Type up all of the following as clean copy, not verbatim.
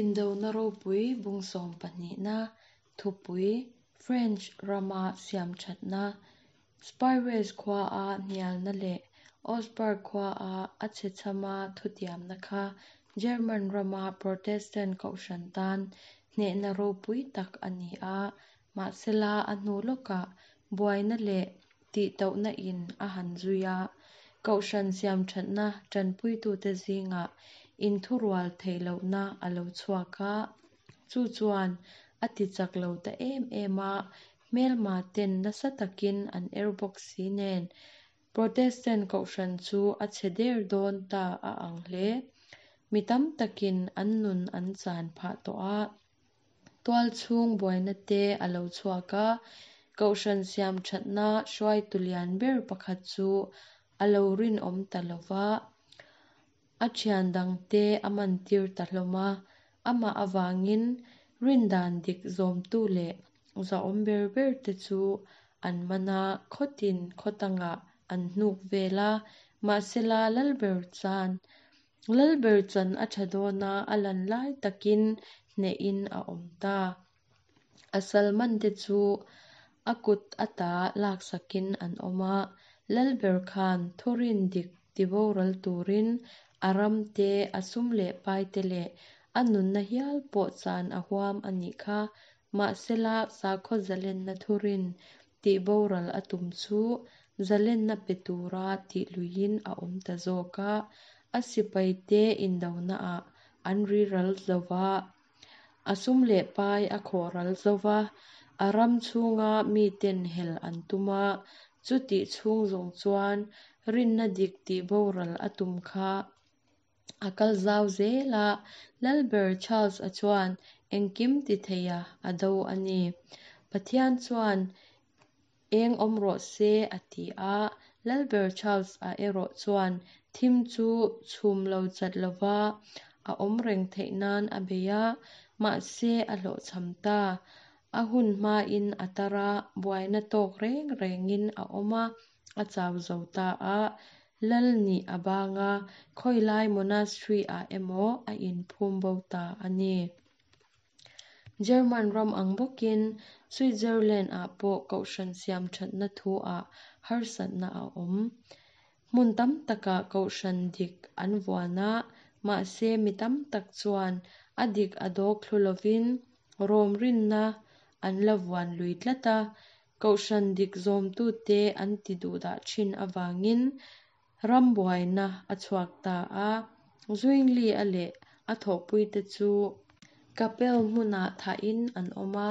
Indona ropui bung sawmpahnihna thupui French rama siamthatna, Spires khuaa hnialna leh Augsburg khuaa a chhechhama thutiamna kha German rama Protestant kohhran tan hnehna ropui tak a ni a, mahsela a hnu lawkah buaina leh tihtauhna in a han zui a, kohhran siamthatna tanpuitute zingah inthurual theih lohna a lo chhuak a, chu chuan a tichak lo ta em em a, hmelma ten nasa takin an er bawk si nen, Protestant kohhran chu a chhe der dawn ta a ang hle. Mi tam takin an nun an chan phah tawh a. Tualchhung buaina te a lo chhuak a, kohhran siam thatna hruaitu lian ber pakhat chu a lo rinawm ta lo va, a thian dangte a mantir ta hlawm a, amah avangin rindan dik zawmtu leh zahawm ber ber te chu an man a, khawtin khawtangah an hnuk vel a, mahsela Lalber chan Lalber chan a tha dawn a, a lan lai takin hnehin a awm ta. A salman te chu a kut ata laksakin an awm a, Lalber khan thurin dik tiboral turin a ram te, a sum leh pai te leh a nunna hial pawh chan a huam a nih kha. Mahsela sakhaw zalenna thurin tihboral a tum chu zalenna pe tura tih luiin a awm ta zawk a, a sipaite indonaah an riral zo va, a sum leh pai a khawh ral zo va, a ram chhunga miten hel an tum a, chutih chhung zawng chuan rinna dik tihboral a tum kha a kal zau zel a, Lalber Charles-a chuan engkim ti theia a do a ni. Pathian chuan eng awm rawh se a ti a, Lalber Charles-a erawh chuan thim chu chhum lo chat lova a awm reng theih nan a bei a, mahse a hlawhchham ta. A hun hmain a tar a, buaina tawk reng rengin a awm a, a chau zo ta a, lal nih a bang a, khawilai monastery-ah emaw a inphum bo ta a ni. German ram ang bawkin Switzerland-ah pawh kohhran siam thatna thu-ah harsatna a awm. Hmun tam takah kohhran dik an vuan a, mahse mi tam tak chuan a dik a dawk thlu lovin Rom rinna an la vuan lui tlat a, Kohhran dik zawmtute an ti duhdah thin avangin ram buaina a chhuak ta a, Zwingli-a leh a thawhpuite chu Kapel hmunah thahin an awm a,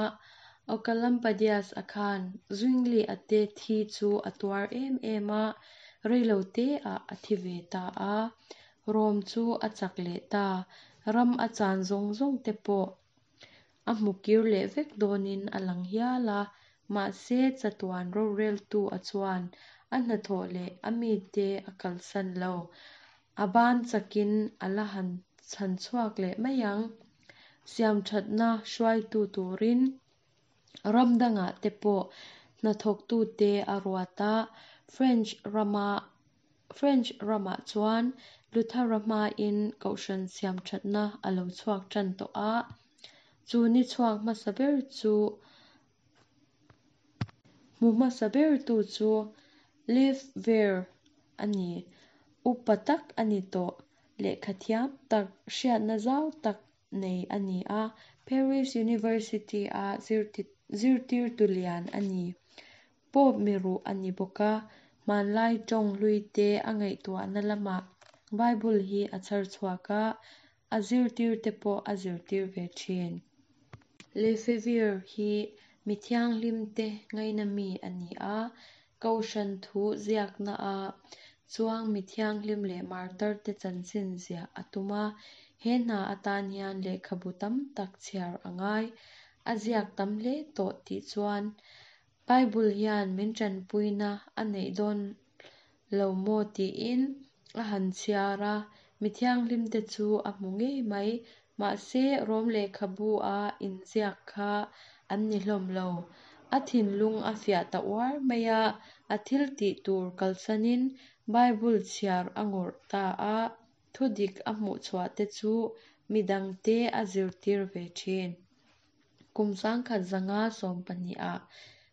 Oecolampadius-a khan Zwingli-a te thi chu a tuar em em a, reiloteah a thi ve ta a, Rom chu a chak leh ta, ram a chan zawng zawng te pawh A hmu kir leh vek dawnin a lang hial a, mahse chatuan roreltu a chuan a hnathawh leh a mite a kalsan lo. A ban chakin a la han chhan chhuak leh mai ang. Siamthatna hruaitu turin ram dangah te pawh hnathawktute a ruat a, French rama French ramah chuan Luthera hmain kohhran siamthatna a lo chhuak tan tawh a, chu ni chhuak hmasa ber chu hmu hmasa bertu chu Lefevre a ni. Upa tak a ni tawh, lehkha thiam tak, hriatna zau tak nei a ni a, Paris University-a zirtirtu lian a ni. Pope miruh a ni bawk a, hmanlai tawng hluite a ngaihtuahna lamah Bible hi a chhar chhuak a, a zirtirte pawh a zirtir ve thin. Lefevre hi mi thianghlimte ngaina mi a ni a, Kohhran thu ziakna a chuang mi thianghlim leh martarte chanchin ziah a tum a, he hna atan hian lehkhabu tam tak chhiar a ngai. A ziak tam hle tawh tih chuan Bible hian min tanpuina a neih dawn lo maw tiin a han chhiar a, mi thianghlimte chu a hmu ngei mai. Mahse, Rom lehkhabu-a inziak kha an ni hlawm lo. A thinlung a fiah ta uar mai a, a thil tih tur kalsanin Bible chhiar a ngawrh ta a, thudik a hmuh chhuah te chu midangte a zirtir ve thin. Kum 1512 ah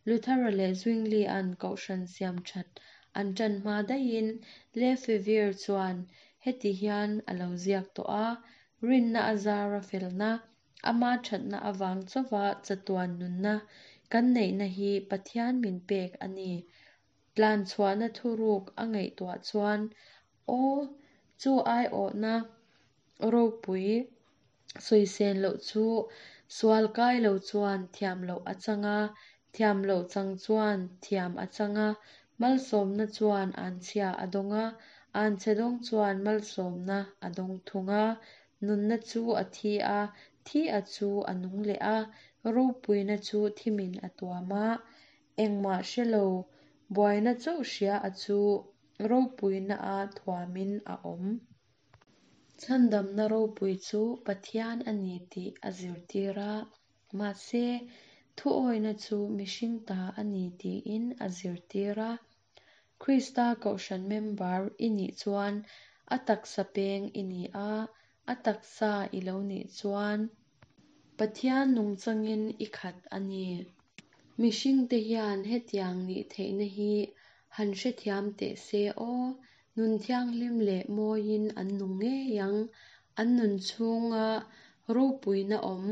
Luther-a leh Zwingli-a'n kohhran siam that an ṭan hma daihin Lefevre chuan heti hian a lo ziak tawh a, Rinna a zara felna, ama ṭhatna avang chauha chatuan nunna kan neihna hi Pathian min pek a ni. Tlan chhuahna thuruk a ngaihtuah chuan, Aw, chu aiawhna ropui sawisel loh chu sual kai lo chuan thiam loh a chang a, thiam loh chang chuan thiam a chang a, malsawmna chuan anchhia a dawng a, anchhe dawng chuan malsawmna a dawng thung a, nunna chu a thi a, thi a chu a nung leh a, ropuina chu thimin a tuam a, engmah hre lo buaina chauh hria a chu ropuina a thuamin a awm. Chhandamna ropui chu Pathian a ni tih a zirtir a, mahse, thuawina chu mihring ta a ni tiin a zirtir a. Krista kohhran member i nih chuan a taksa peng i ni a, a taksa i lo nih chuan Pathian nungchangin i khat a ni. Mihringte hian hetiang nih theihna hi han hrethiam teh se aw, nun thianghlim leh mawiin an nung ngei ang, an nun chhunga ropuina awm,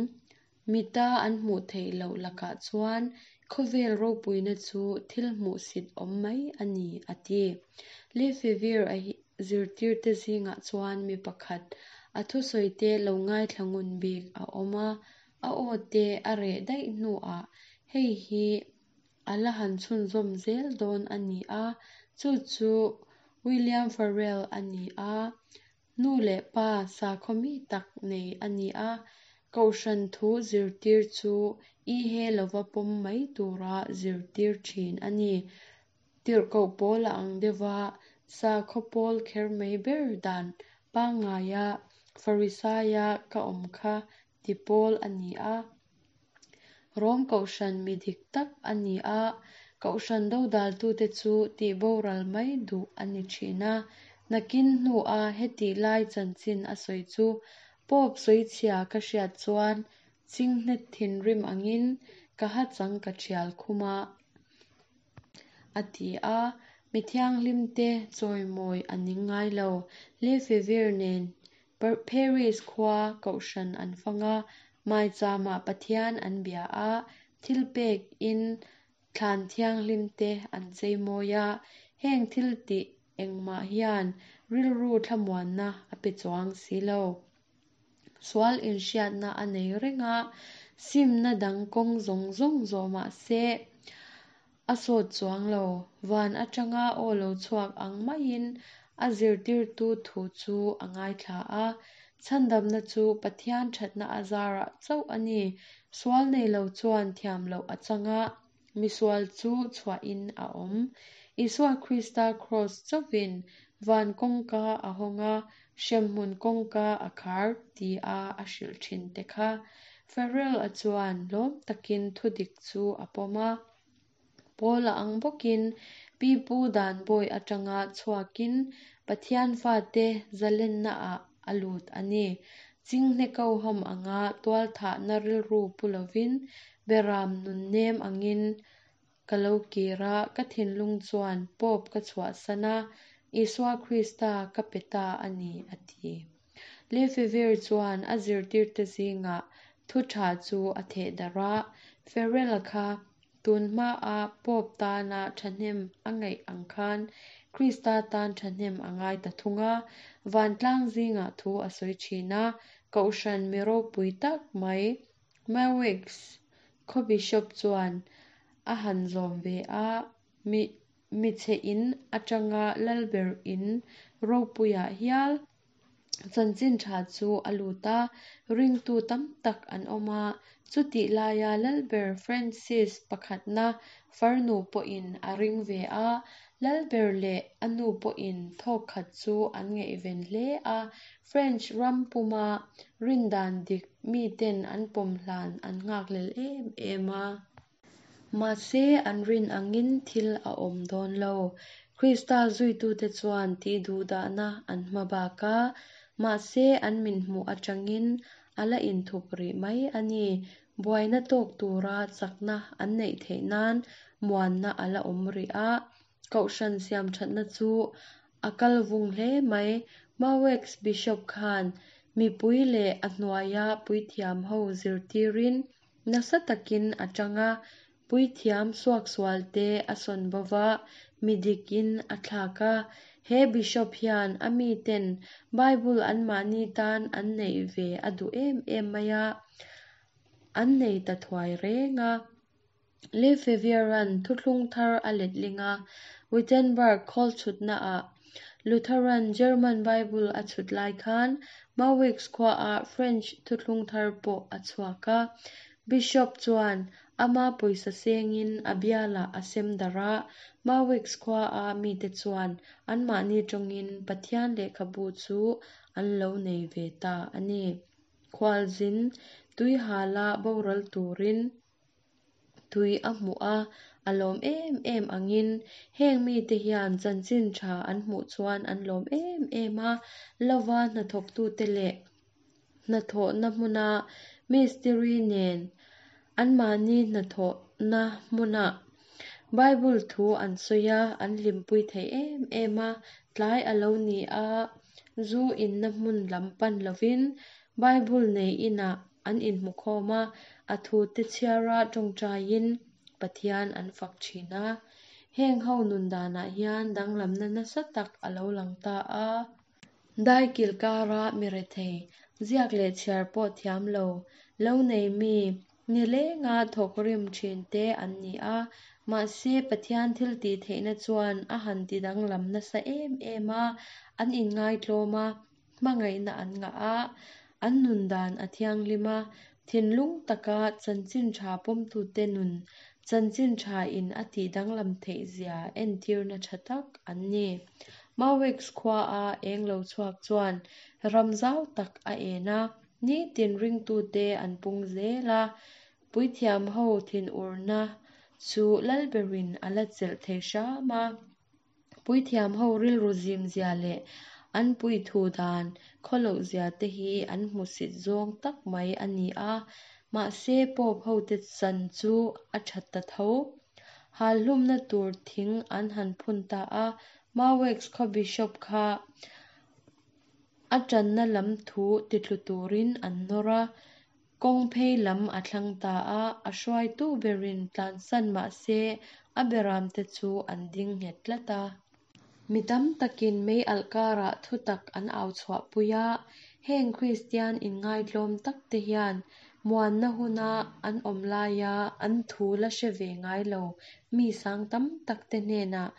mita an hmuh theih loh lakah chuan khawvel ropuina chu thil hmuhsit awm mai a ni, a ti. Lefevre-a zirtirte zingah chuan mi pakhat a thusawite lo ngaithla ngun bik a awm a, a aw te a reh daih hnuah hei hi a la han chhunzawm zel dawn a ni a, chu chu William Farrell a ni a, nu leh pa sakhaw mi tak nei a ni a, kohhran thu zirtir chu i he lova pawm mai tura zirtir thin a ni. Tirhkoh pawl a ang deuh a, sakhaw pawl kher mai ber dan pangngaia Pharisaia ka awm kha ti pawl a ni a. Rom kohhran mi dik tak a ni a, kohhran dodaltute chu tihboral mai duh a ni thin a. Nakin hnua hetih lai chanchin a sawi chu Pope sawichhia ka hriat chuan chinghet thinrim angin ka hachang ka thial khum a, a ti a. Mi thianghlimte chawimawi a ning ngai lo. Lefevre nen Paris khua kohhran an fang a, maichama Pathian an bia a, thilpek in thlan thianghlim te an cheimawi a, heng thil tih engmah hian rilru thlamuanna a pe chuang si lo. Sual inhriatna a nei reng a, simna dang kawng zawng zawng zawh mah se a sawt chuang lo. Van atanga aw lo chhuak ang maiin a zirtirtu thu chu a ngaithla a, chhandamna chu Pathian thatna a zarah chauh a ni. Sual nei lo chuan thiam loh a chang a, misual chu chhuahin a awm. Isua Krista kraws chauhin van kawngka a hawng a, hremhmun kawngka a khar tia a hrilh thin te kha. Farrell-a chuan lawm takin thudik chu a pawm a. Paula ang bawkin pipu dan bawi atanga chhuakin Pathian fate zalennaah a lut a ni. Chinghne koham anga tualthahna rilru pu lovin beram nunnem angin ka lo kir a, ka thinlung chuan Pope ka chhuahsan a, Isua Krista ka pe ta a ni, a ti. Lefevre chuan a zirtirte zingah thu tha chu a theh darh a, Farrell-a kha tun hmaa Pope tana thahnem a ngaih ang khan Krista tan thahnem a ngai ta thung a, vantlang zingah thu a sawi thin a, kohhran mi ropui tak mai Meaux khaw bishop chuan a han zawm ve a, mi michhe in atanga lalber in ropuiah hial chanchin tha chu a lut a, ringtu tam tak an awm a, chutih laia lalber Francis pakhatna farnu pawhin a ring ve a, lalber leh a nu pawhin thawk khat chu an ngaihven hle a, French ram puma rindan dik miten an pawm hlan an nghakhlel em em a. Mahse, an rin angin thil a awm dawn lo. Krista zuitute chuan tihduhdahna an hma bak a, Mahse an min hmuh atangin a la inthup rih mai a ni. Buaina tawk tura chakna an neih theih nan muanna a la awm rih a. Kohhran siamthatna chu a kal vung hle mai. Maweks Bishop khan mipui leh a hnuaia puithiam ho zirtirin nasa takin a tang a, puithiam suaksualte a sawn bo va, mi dikin a thlak a. He Bishop hian a miten Bible anmahni tan an neih ve a duh em em mai a, an nei ta thuai reng a. Lefevre-a'n Thuthlung Thar a letling a, Wittenberg khawl chhutnaah Lutheran German Bible a chhut lai khan Mawix khuaah French Thuthlung Thar pawh a chhuak a. Bishop chuan ama pawisa sengin a bialah a sem darh a, Mawix khuaa mite chuan anmahni tawngin Pathian lehkhabu chu an lo nei ve ta a ni. Khualzin tuihala boral turin Tui a hmuh a, a lawm em em angin heng mite hian chanchin tha an hmuh chuan an lawm em em a, lova hnathawktute leh hnathawhna hmuna mistiri nen anmahni hnathawhna hmuna Bible thu an sawi a, an hlimpui thei em em a, tlai a lo ni a, zu inna hmun lam pan lovin Bible nei inah an inhmukhawm a, a thute chhiara tawngtaiin Pathian an fak thin a. Heng ho nun danah hian danglamna nasa tak a lo lang ta a. Daikil kara mi rethei, ziak leh chhiar pawh thiam lo, lo nei mi, nilenga thawk rim thin te an ni a. Mahse, Pathian thil tih theihna chuan a han ti danglam nasa em em a, an inngaitlawm a, Hmangaihna an ngah a, an nun dan a thianghlim a, thinlung taka chanchin tha pawmtute nun chanchin tha in a tih danglam theih zia entirna tha tak an ni. Mawix khua a eng lo chhuak chuan ram zau tak a en a, nitin ringtute an pung zel a, puithiam ho thinurna chu Lalberin a la chelh thei hram a. Puithiam ho rilru zim zia leh an puithu dan khawloh zia te hi an hmusit zawng tak mai a ni a, mahse Pope hote chan chu a that ta tho. Hal hlumna tur thing an han phun ta a, Maweks khaw Bishop kha a tanna lam thu titlu turin an nawr a, Kawng phei lam a thlang ta a, a hruaitu berin tlansan mah se a beramte chu an ding nghet tlat a. Mi tam takin mei alh karah thutak an au chhuahpui a, heng Kristian inngaitlawm takte hian muanna huna an awm laia an thu la hre ve ngai lo mi sang tam takte hnenah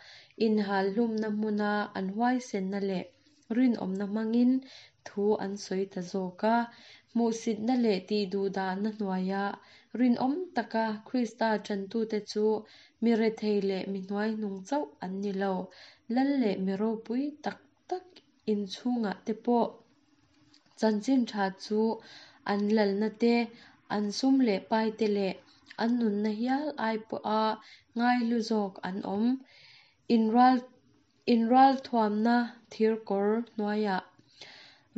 inhal hlumna hmuna an huaisenna leh rinawmna hmangin thu an sawi ta zawk a. Hmuhsitna leh tihduhdahna hnuaia rinawm taka Krista ṭantute chu mi rethei leh mi hnuaihnung chauh an ni lo. Lal leh mi ropui tak tak inchhungah te pawh chanchin ṭha chu an lalna te, an sum leh pai te leh an nunna hial ai pawha ngaihlu zawk an awm. Inral Inralthuamna thirkawr hnuaiah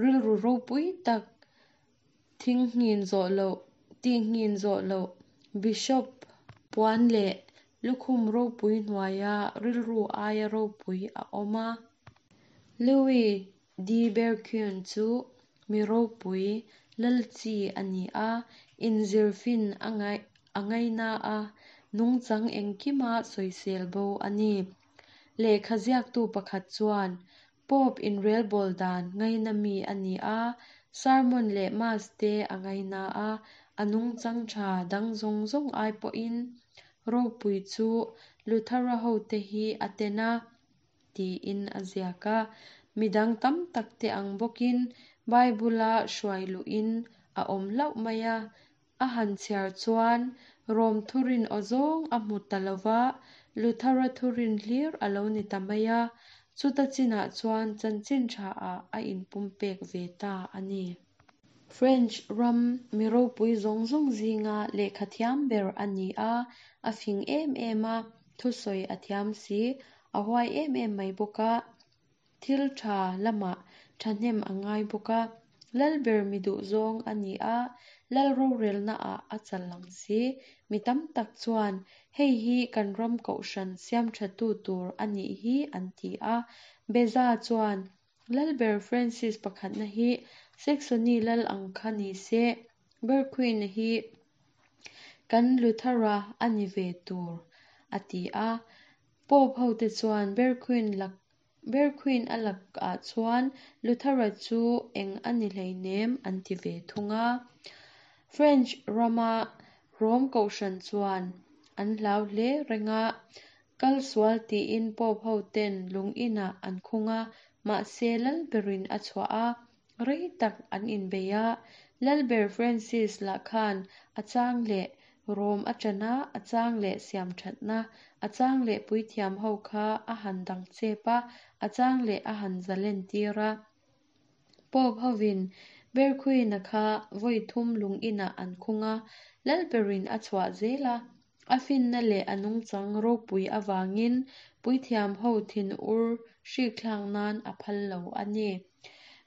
rilru ropui tak thingnghin zawh loh, tihnghin zawh loh Bishop puan leh lukhum ropui hnuaia rilru aia ropui a awm a. Louis de Berquin chu mi ropui lal chi a ni a, inzirfin a ngaina a, nungchang engkima sawisel bo a ni. Lehkha ziaktu pakhat chuan, Pope inrelbawl dan ngaina mi a ni a, sermon leh mass te a ngaina a, a nungchang tha dang zawng zawng ai pawhin ropui chu Luthera hote hi a ten a, tiin a ziak a. Midang tam tak te ang bawkin Bible-a hruai luhin a awm hlauh mai a, A han chhiar chuan Rom thurin aw zawng a hmu ta lo va, Luthera thurin hlir a lo ni ta mai a, chuta chinah chuan chanchin thaah a inpumpek ve ta a ni. French ram mi ropui zawng zawng zinga lehkha thiam ber a ni a, a fing em em a, thusawi a thiam si, a huai em em mai bawk a. Thil tha lamah Thahnem a ngai bawk a. Lalber mi duhzawng a ni a, lal rorelnaah a chal ang si. Mi tam tak chuan, Hei hi kan ram kohhran siamthatu tur a nih hi an ti a. Beza chuan, Lalber Francis pakhatna hi Saxony lal ang kha ni se, Berquin-a hi kan Luther-a a ni ve tur, a ti a. Pope hote chuan Berquin lak Berquin a lakah chuan Luther-a chu eng a ni hleinem an ti ve thung a. French rama Rome kohhran chuan an hlau hle reng a, Kal sual tiin Pope hoten lung inah an khung a, mahse Lalberin a chhuah a, rei tak an inbei a. Lalber Francis lah khan a chang leh Rome a ṭan a, a chang leh siam ṭhatna, a chang leh puithiam ho kha a han dang chep a, a chang leh a han zalen tir a. Pope hovin Berquin-a kha vawi thum lung inah an khung a, Lalberin a chhuah zel a. A finna leh a nungchang ropui avangin puithiam ho thinur hrikthlak nan a phal lo a ni.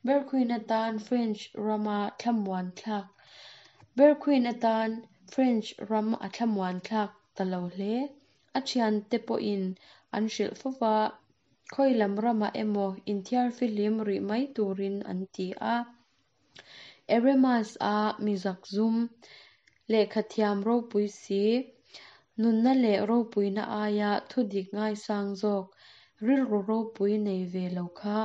Berquin atan French rama thlamuan thlak Berquin atan French ram a thlamuan thlak ta lo hle. A thiante pawhin an hrilh fo va, khawi lam ramah emaw inthiar fihlim rih mai turin an ti a. Eremas-a mi zakzum, lehkhathiam ropui si, nunna leh ropuina aia thudik ngaisang zawk, rilru ropui nei ve lo kha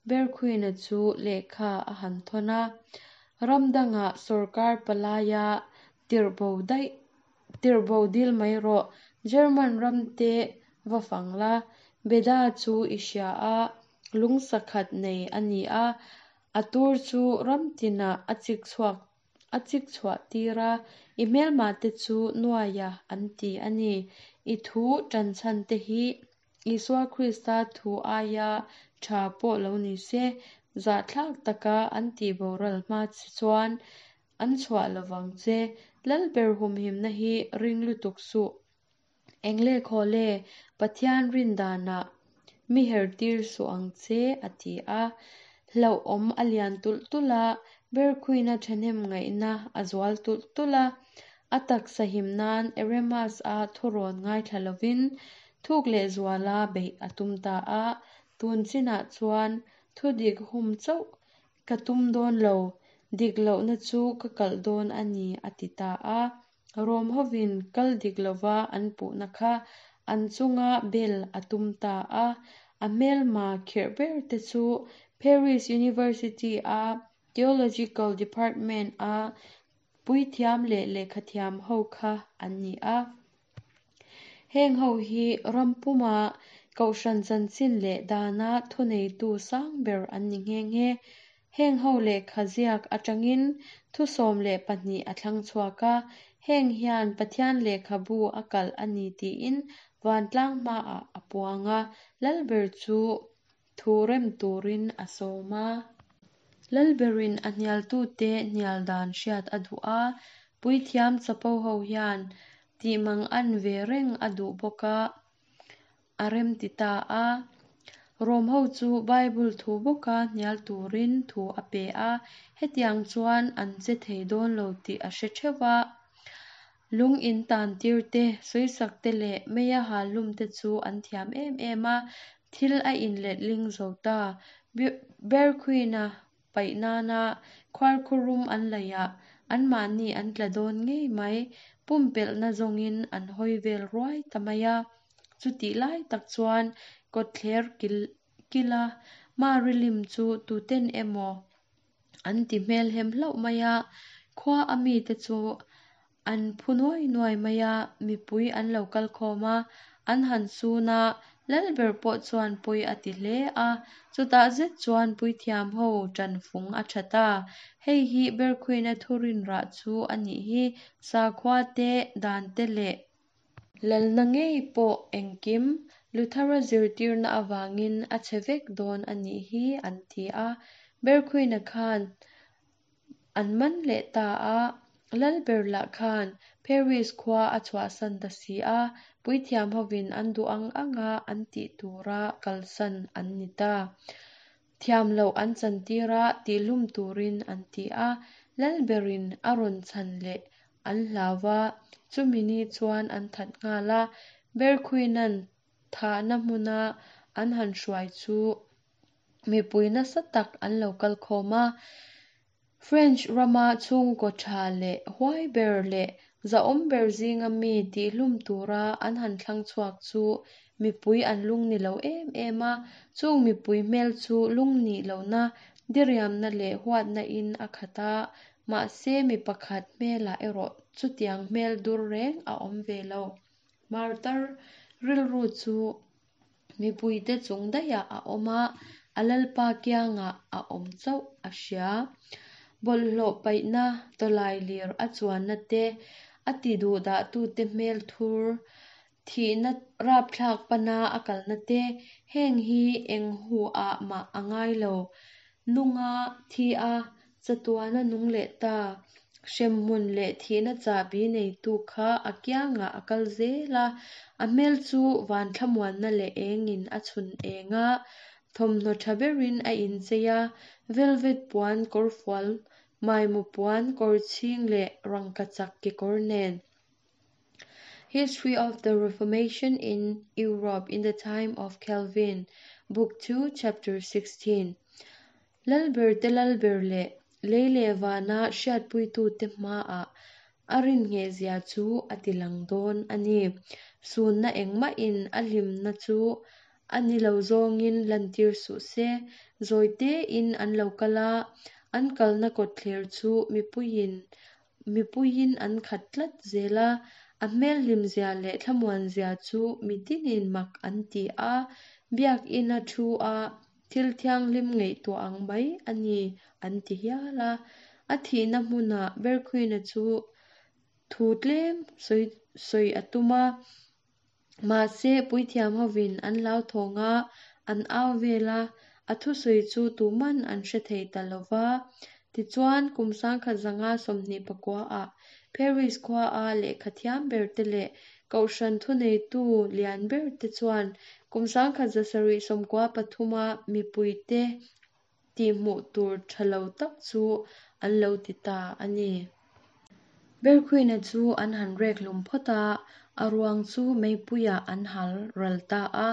Berquin-a chu lehkha a han thawn a. Ram dangah sawrkar palaia tirhbo daih Tirhbo dil mai rawh, German ram te va fang la, Beda chu i hria a, lungsa khat nei a ni a, a tur chu ram tinah a chik chhuak a chik chhuah tir a, i hmelmah te chu nuaia an ti a ni. I thu tanchhan te hi Isua Krista thu aia tha pawh lo ni se, zahthlak taka an tihboral hma che chuan An chhuah lovang che, Lalber humhimna hi ring lutuk suh. Engle khawle, Pathian rin danah mi her tir suh ang che, a ti a. Hlauhawm a lian tulh tulh a, Berquin-a thahnem ngaihna a zual tulh tulh a. A taksa him nan Eremas-a thurawn ngaithla lovin thuk lehzuala beih a tum ta a. Tun chinah chuan thudik hum chauh Ka tum dawn lo, dik lohna chu ka kalh dawn a ni, a ti ta a. Rom hovin kal dik lova an puhna kha an chunga bel a tum ta a. A hmelma khirh ber te chu Paris University-a Theological Department-a puithiam leh lehkhathiam ho kha an ni a. Heng ho hi ram puma Kohhran chanchin leh dana thuneitu sang ber an ni nghe nghe. Heng ho lehkha ziak atangin thu 12 a thlang chhuak a, heng hian Pathian lehkhabu a kalh a ni tiin vantlang hmaah a puang a, Lalber chu thu rem turin a sawm a. Lalberin a hnialtute hnial dan hriat a duh a, puithiam chapo ho hian tih mang an ve reng a duh bawk a, a rem ti ta a. Rom ho chu Bible thu bawka hnial turin thu a pe a, hetiang chuan an che thei dawn lo tih a hre theuh a. Lung in tan tir te, sawisak te leh meia hal hlum te chu an thiam em em a, thil a inletling zo ta. Berquin-a paih nana khuarkhurum an laih ah anmahni an tla dawn ngei mai, pumpelhna zawngin an hawi vel ruai ta mai a. Chutih lai tak chuan kawtthler kila Marilim chu tuten emaw An ti hmel hem hlauh mai a, khua a mite chu an phu nuai nuai mai a, mipui an lo kal khawm a, an han sun a, Lalber pawh chuan pawi a ti hle a, chutah zet chuan puithiam ho ṭan fung a ṭha ta. Hei hi Berkhuina thurin rah chu a nih hi, sakhua te, dan te leh Lalna ngei pawh engkim Luthera zirtirna avangin a chhe vek dawn a nih hi an ti a. Berkhuina khan an man leh ta a, Lalber lah khan Paris khua a chhuahsan ta si a, puithiam hovin an duh ang anga an tih tura kalsan an ni ta. Thiam loh an chantir a, tihlum turin an ti a. Lalberin a rawn chhan leh an hlau va, chumi ni chuan an that nghal a. Berquin-a'n thahna hmuna an han hruai chu mipui nasa tak an lo kal khawm a. French rama chhungkaw tha leh huai ber leh zahawm ber zinga mi tihlum tura an han thlang chhuak chu mipui an lungni lo em em a, chung mipui hmel chu lungnih lohna, diriamna leh huatna in a khat a, mahse mi pakhat hmelah erawh chutiang hmel dur reng a awm ve lo. Martar rilru chu mipuite chung daihah a awm a, a Lalpa kiangah a awm chauh a hria. Bawlhhlawh paihna tawlailir a chuanna te, a ti duhdahtute hmel thur, thihna rapthlak pana a kalna te, heng hi eng huah mah a ngai lo. Nunga thi a, chatuana nung leh ta. Hremhmun leh thihna chahbi neitu kha a kiangah a kal zel a, a hmel chu van thlamuanna leh engin a chhun eng a, thawmhnaw tha berin a inchei a, velvet puan kawrfual, maimaw puan kawrchhing leh rangkachak kekawr nen. History of the Reformation in Europe in the Time of Calvin, Book 2, Chapter 16. Lalber te lalber leh lei leh vana hriatpuitute hmaah a rinngehzia chu a tilang dawn a ni. Sunna engmahin a hlimna chu a ni lo zawngin lantir suh se. Zawitein an lo kal a, an kalna kawtthler chu mipuiin Mipuiin an khat tlat zel a, a hmel hlimzia leh thlamuanzia chu mitinin mak an ti a, Biakina thu a thil thianghlim ngaihtuah ang mai a ni an ti hial a. A thihna hmunah Berquin-a chu thu tlem sawi sawi a tum a, mahse puithiam hovin an hlauthawng a, an au vel a, a thusawi chu tuman an hre thei ta lo va. Tichuan, kum 1929-ah Paris khuaa lehkha thiam berte leh kohhran thuneitu lian berte chuan kum 1793-a mipuite tihhmuh tur tha lo tak chu an lo ti ta a ni. Berquin-a chu an han rek hlum phawt a, a ruang chu meipuiah an hal ral ta a.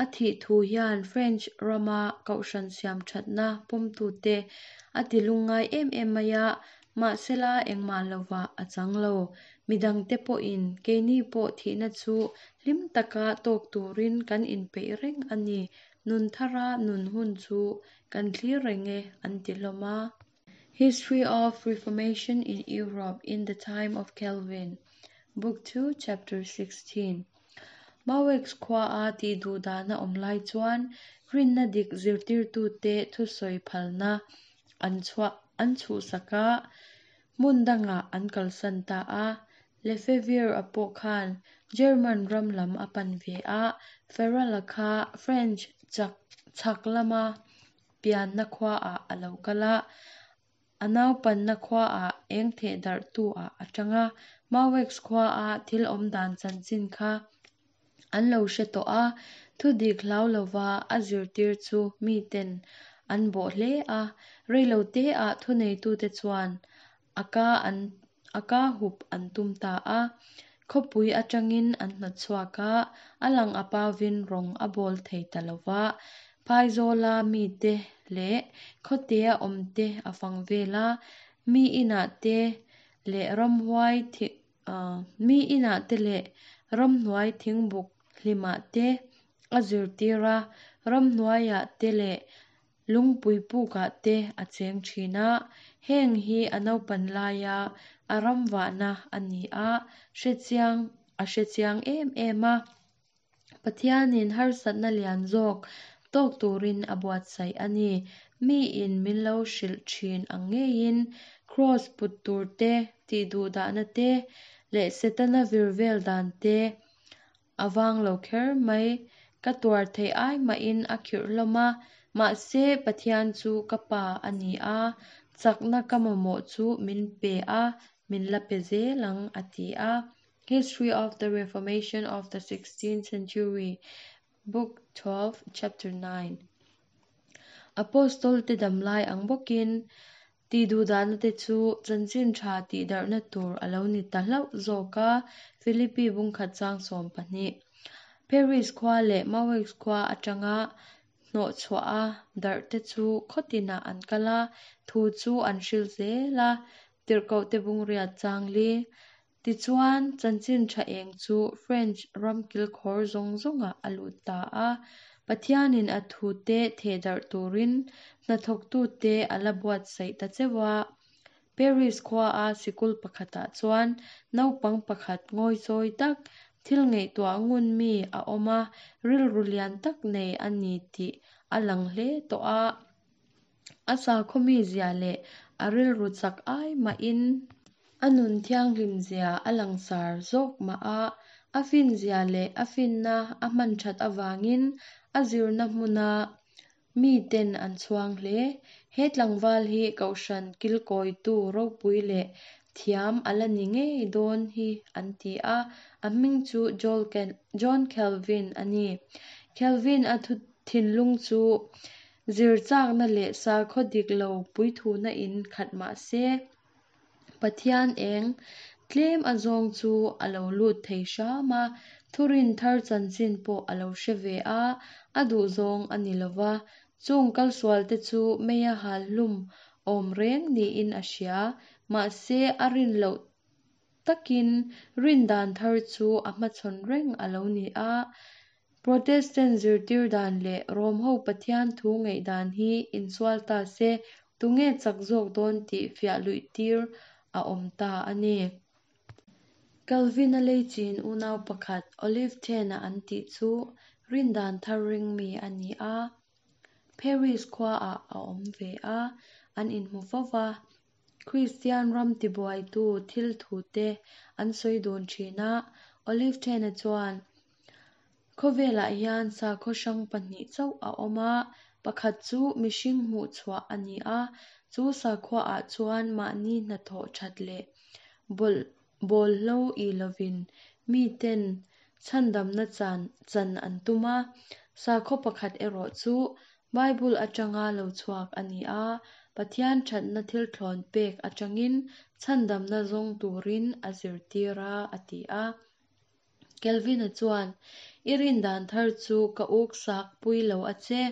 A thih thu hian French rama kohhran siam thatna pawmtute a ti lungngai em em mai a, mahsela engmah lovah a chang lo. Midangte pawhin keini pawh thihna chu hlim taka tawk turin kan inpeih reng a ni Nun thara nun hun chu kan thlir reng e, an ti hlawm a. History of Reformation in Europe in the Time of Calvin, Book 2, Chapter 16. Mauex khuaa tih duh dahna awm lai chuan rinna dik zirtirtute thusawi phalna an chhuah an chhuhsak a, hmun dangah an kalsan ta a. Lefevre-a pawh khan German ram lam a pan ve a, Farrell-a kha French chak chhak lama pianna khuaah a lo kal a, a naupanna khuaah eng theh darhtu-ah a tang a, Mauex khuaa thil awmdan chanchin kha an lo hre tawh a, thudik hlau lova a zirtir chu miten an bawh hle a, reiloteah thuneitute chuan a ka an a ka hup an tum ta a. Khawpui atangin an hnawt chhuak a, a lang a pauvin rawng a bawl thei ta lo va. Phaizawla mite leh khawtea awmte a fang vel a, mi inah te leh ramhuai mi inah te leh ramhnuai thingbuk hlimah te a zirtir a, ramhnuaiah te leh Lungpui pukah te a cheng thin a, heng hi a naupan laia a ramvahna a ni a, hrechiang a hrechiang em em a. Pathianin harsatna lian zawk tawk turin a buatsaih a ni. Miin min lo hrilh thin ang ngeiin Kraws put tur te, tihduhdahna te leh Setana vir vel dan te A vang lo kher mai. Ka tuar theih ai mahin a khirh hlawm a, mahse Pathian chu ka pa a ni a, chakna ka mamawh chu min pe a, min la pe zel ang, a ti a. History of the Reformation of the Sixteenth Century, Book 12, Chapter 9. Apostol-te damlai ang bawkin tihduhdahna-te chu chanchin tha tihdarhna tur a lo ni ta hlauh zawk a, Philippi bung khat chang 12. Paris khua leh Meaux khua atanga hnawhchhuaha darhte chu khaw tinah an kal a, thu chu an hril zel a, Tirhkohte bung riat chang li. Tichuan, chanchin tha eng chu French ram kilkhawr zawng zawngah a lut ta a. Pathianin a thute thehdarh turin hnathawktute a la buatsaih ta cheu a. Paris khuaa sikul pakhatah chuan naupang pakhat ngawichawi tak, thil ngaihtuah ngun mi a awm a, rilru lian tak nei a ni tih a lang hle tawh a. A sakhaw mizia leh a rilru chak ai mahin a nun thianghlim zia a langsar zawk mah a, a finzia leh a finna a hman that avangin a zirna hmuna miten an chhuang hle. He tlangval hi Kohhran kilkawitu ropui leh thiam a la ni ngei dawn hi an ti a, a hming chu John Calvin a ni. Calvin-a thinlung chu zir chakna leh sakhaw dik lo puithuna in khat mah se, Pathian eng tlem azawng chu a lo lut thei hram a, thurin thar chanchin pawh a lo hre ve a, a duhzawng a ni lo va, chung kalsualte chu meia hal hlum awm reng niin a hria, mahse a rin loh takin rin dan thar chu a hmachhawn reng a lo ni a. Protestant zirtir dan leh Rom-ho Pathian thu ngaihdan hi insual ta se, tunge chak zawk dawn tih fiah luih tir a awm ta a ni. Calvin-a leichin unau pakhat Olive Thena an tih chu rin dan thar ring mi a ni a. Paris khuaah a awm ve a, an inhmu fo va. Kristian ram tibuaitu thil thute an sawi dun thin a, Olive Thena chuan, Khawvelah hian sakhaw hrang pahnih chauh a awm a, pakhat chu mihring hmuhchhuah a ni a, chu sakhuaah chuan mahni hnathawh that leh bawlhlo i lovin miten chhandamna chan an tum a, sakhaw pakhat erawh chu Bible atanga lo chhuak a ni a, Pathian thatna thil thlawn pek atangin chhandamna zawng turin a zirtir a, a ti a. Kelvin-a chuan, I rin dan thar chu ka uk sak pui lo a che.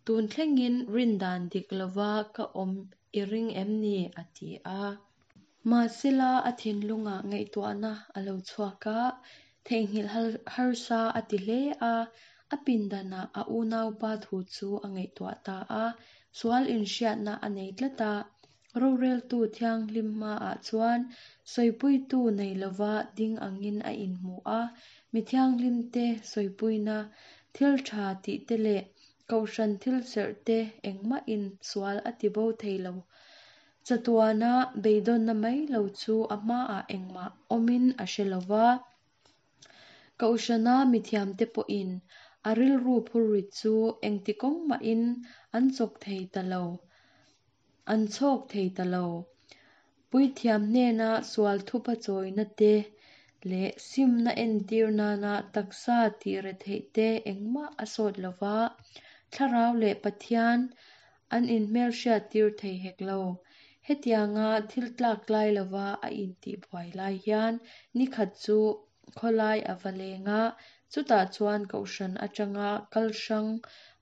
Tun thlengin rin dan dik lova ka awm i ring em ni? a ti a. Mahsela a thinlungah ngaihtuahna a lo chhuak a, theihnghilh harsa a ti hle a. A pindanah a unaupa thu chu a ngaihtuah ta a, sual inhriatna a nei tlat a. Roreltu thianghlim hmaah chuan sawipuitu nei lova ding angin a inhmu a, mi thianghlimte sawipuina, thil tha tihte leh kohhran thil serhte engmahin sual a tibo thei lo. Chatuana beidawnna mai lo chu a hmaah engmah awmin a hre lo va. Kohhrana mithiamte pawhin a rilru phurrit chu engti kawng mahin an chawk thei ta lo. An chhawk thei ta lo. Puithiam hnena sual thupa chawina te leh simna entir nana taksa tih retheih te engmah a sawt lo va, Thlarau leh Pathian an inhmelhriat tir thei hek lo. Hetianga thil tlak tlai lova a intihbuai lai hian nikhat chu khawlai a va leng a, chutah chuan kohhran atanga kal hrang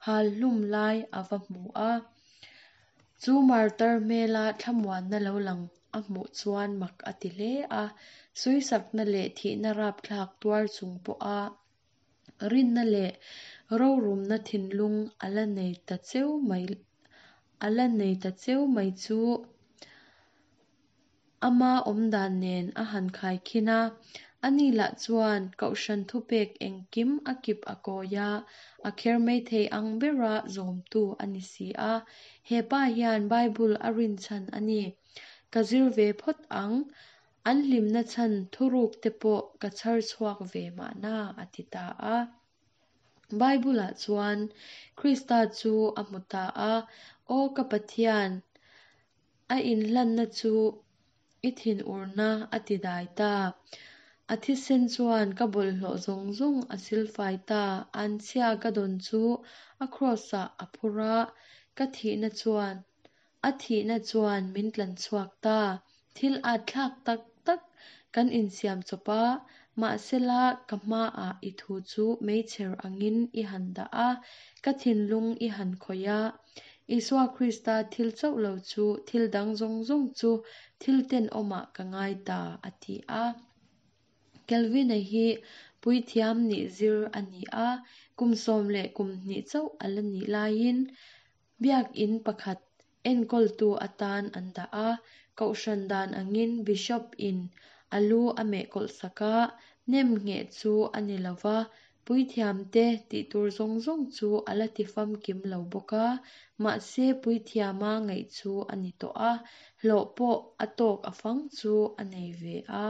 hal hlum lai a va hmu a. Chu martar hmela thlamuanna lo lang a hmuh chuan mak a ti hle a, sawisakna leh thihna rapthlak tuar chung pawha rinna leh rorumna thinlung a la nei ta cheu mai a la nei ta cheu mai chu ama awmdan nen a han khaikhin a. Ani lah chuan Kohhran thupek engkim a kip a kawi a, a kher mai thei ang bera zawmtu a ni si a. He pa hian Bible a rinchhan a ni. Ka zir ve phawt ang, an hlimna chhan thuruk te pawh ka chhar chhuak ve mahna, a ti ta a. Bible-ah chuan Krista chu a hmu ta a, Aw ka Pathian, a inhlanna chu i thinurna a ti dai ta. A thisen chuan ka bawlhhlawh zawng zawng a silfai ta. Anchhia ka dawn chu a kraws-ah a phur a. Ka thihna chuan, a thihna chuan min tlan chhuak ta. Thil atthlak tak tak kan insiam chawp a, mahsela ka hmaah i thu chu meichher angin i han dah a, ka thinlung i han khawih a. Isua Krista thil chauh lo chu thil dang zawng zawng chu thil tenawmah ka ngai ta, a ti a. Kelvin-a hi puithiam nih zir a ni a, kum sawm leh kum hnih chauh a la nih laiin Biakinn pakhat enkawltu atan an dah a, kohhran dan angin Bishop-in a lu a meh kawlhsak a, nem ngheh chu a ni lo va, puithiamte tih tur zawng zawng chu a la ti famkim lo bawk a, mahse puithiama ngaih chu a ni tawh a, hlawh pawh a tawk a fang chu a nei ve a.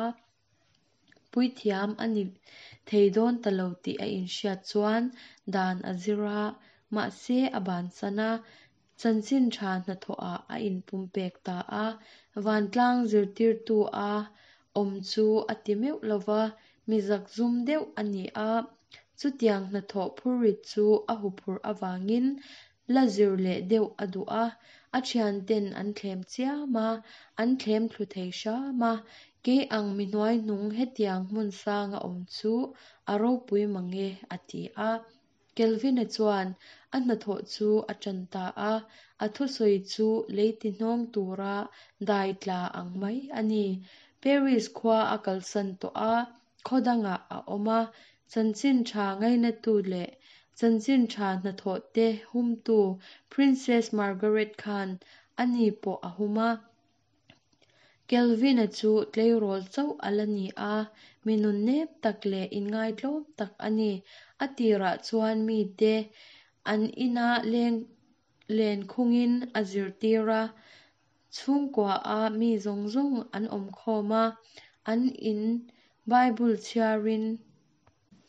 Puithiam a ni thei dawn ta lo tih a inhriat chuan dan a zir a, mahse a bansan a, chanchin tha hnathawhah a inpumpek ta a, vantlang zirtirtu a awm chu a ti meuh lo va, mi zakzum deuh a ni a, chutiang hnathawh phurrit chu a huphurh avangin La zir leh deuh a duh a, a thianten an thlem chiam a, an thlem thlu thei hram a, kei ang mi hnuaihnung hetiang hmun sanga awm chu a ropui mang e, a ti a. Kelvin-a chuan a hnathawh chu a tan ta a, a thusawi chu lei ti hnawng tura dai tla ang mai a ni. Paris khua a kalsan tawh a, khaw dangah a awm a, Chanchin tha ngainatu leh chanchin tha hnathawh te humtu Princess Margaret khan a ni pawh a hum a. Kelvin-a chu tleirawl chauh a la ni a, mi nunnep tak leh inngaitlawm tak a ni. A tirah chuan mite an inah leng len khungin a zirtir a, Chhungkuaah mi zawng zawng an awm khawm a, an in Bible chhiarin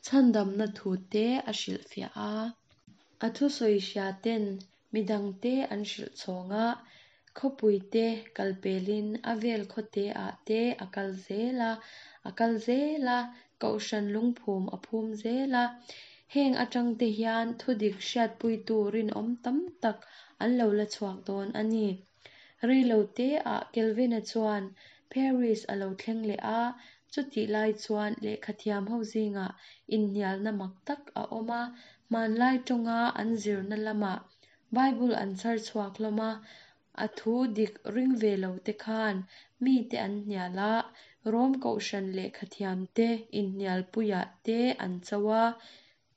chhandamna thute a hrilhfiah a. A thusawi hria ten midangte an hrilh chhawng a, khawpuite kal pelin a vel khawteah te a kal zel a, a kal zel a, kohhran lungphum a phum zel a. Heng atangte hian thudik hriatpuitu rinawm tam tak an lo la chhuak dawn a ni. Reilo teah Kelvin-a chuan Paris a lo thleng leh a, chutih lai chuan lehkhathiam ho zingah inhnialna mak tak a awm a, hmanlai tawnga an zirna lamah Bible an chhar chhuak hlawm a, a thu dik ring ve lo te khan mite an hnial a, Rom kohhran lehkhathiam te inhnialpuiah te an cho a,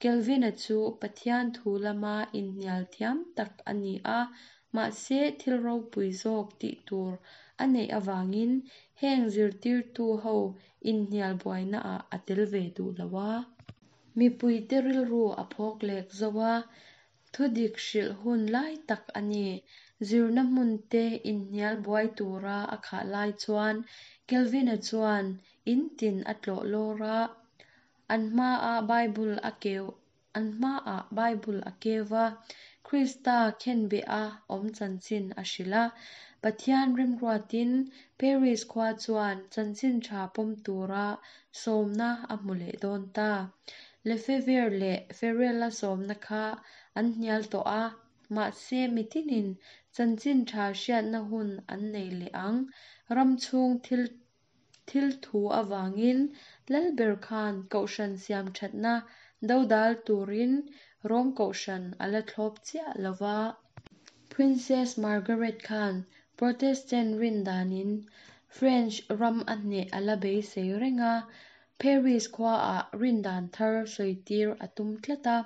Kelvin-a chu Pathian thu lama inhnial thiam tak a ni a, mahse thil ropui zawk tih tur a neih avangin heng zirtirtu ho inhnial buainaah a tel ve duh lo a. Mipuite rilru a phawk lek zo a, thudik hrilh hun lai tak a ni. Zirna hmunte inhnial buai tura a khah lai chuan Kelvin-a chuan in tin a tlawh lawr a, An hmaah Bible a keu An hmaah Bible a keu va, Krista khenbeh a awm chanchin a hrilh a. Pathian remruatin Paris khua chuan chanchin tha pawm tura sawmna a hmu leh dawn ta. Lefevre leh Farel-a sawmna kha an hnial tawh a, mahse mitinin chanchin tha hriatna hun an nei leh ang. Ram chhung thil Thil thu avangin Lalber khan Kohhran siam thatna dodal turin Rom Kohhran a la thlawp chiah lo va. Princess Margaret khan Protestant rin danin French ram a hneh a la beisei reng a, Paris khuaah rin dan thar sawitir a tum tlat a.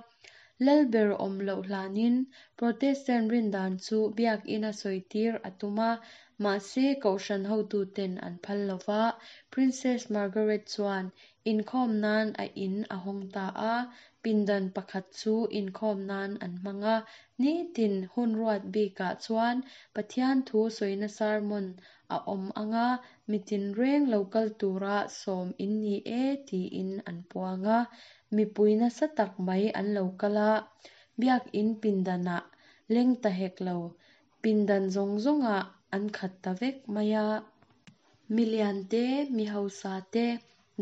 Lalber awm loh hlanin Protestant rin dan chu biakina sawitir a tum a, Mahse, Kohhran hotuten an phal lo va, Princess Margaret chuan inkhawm nan a in a hawng ta a, pindan pakhat chu inkhawm nan an hmang a. Nitin hun ruat bikah chuan Pathian thu sawina sermon a awm ang a, mitin reng lo kal tura sawm in ni e tiin an puang a. Mipui nasa tak mai an lo kal a, biakin pindanah leng ta hek lo Pindan zawng zawngah an khat ta vek mai a. Mi lian te, mi hausa te,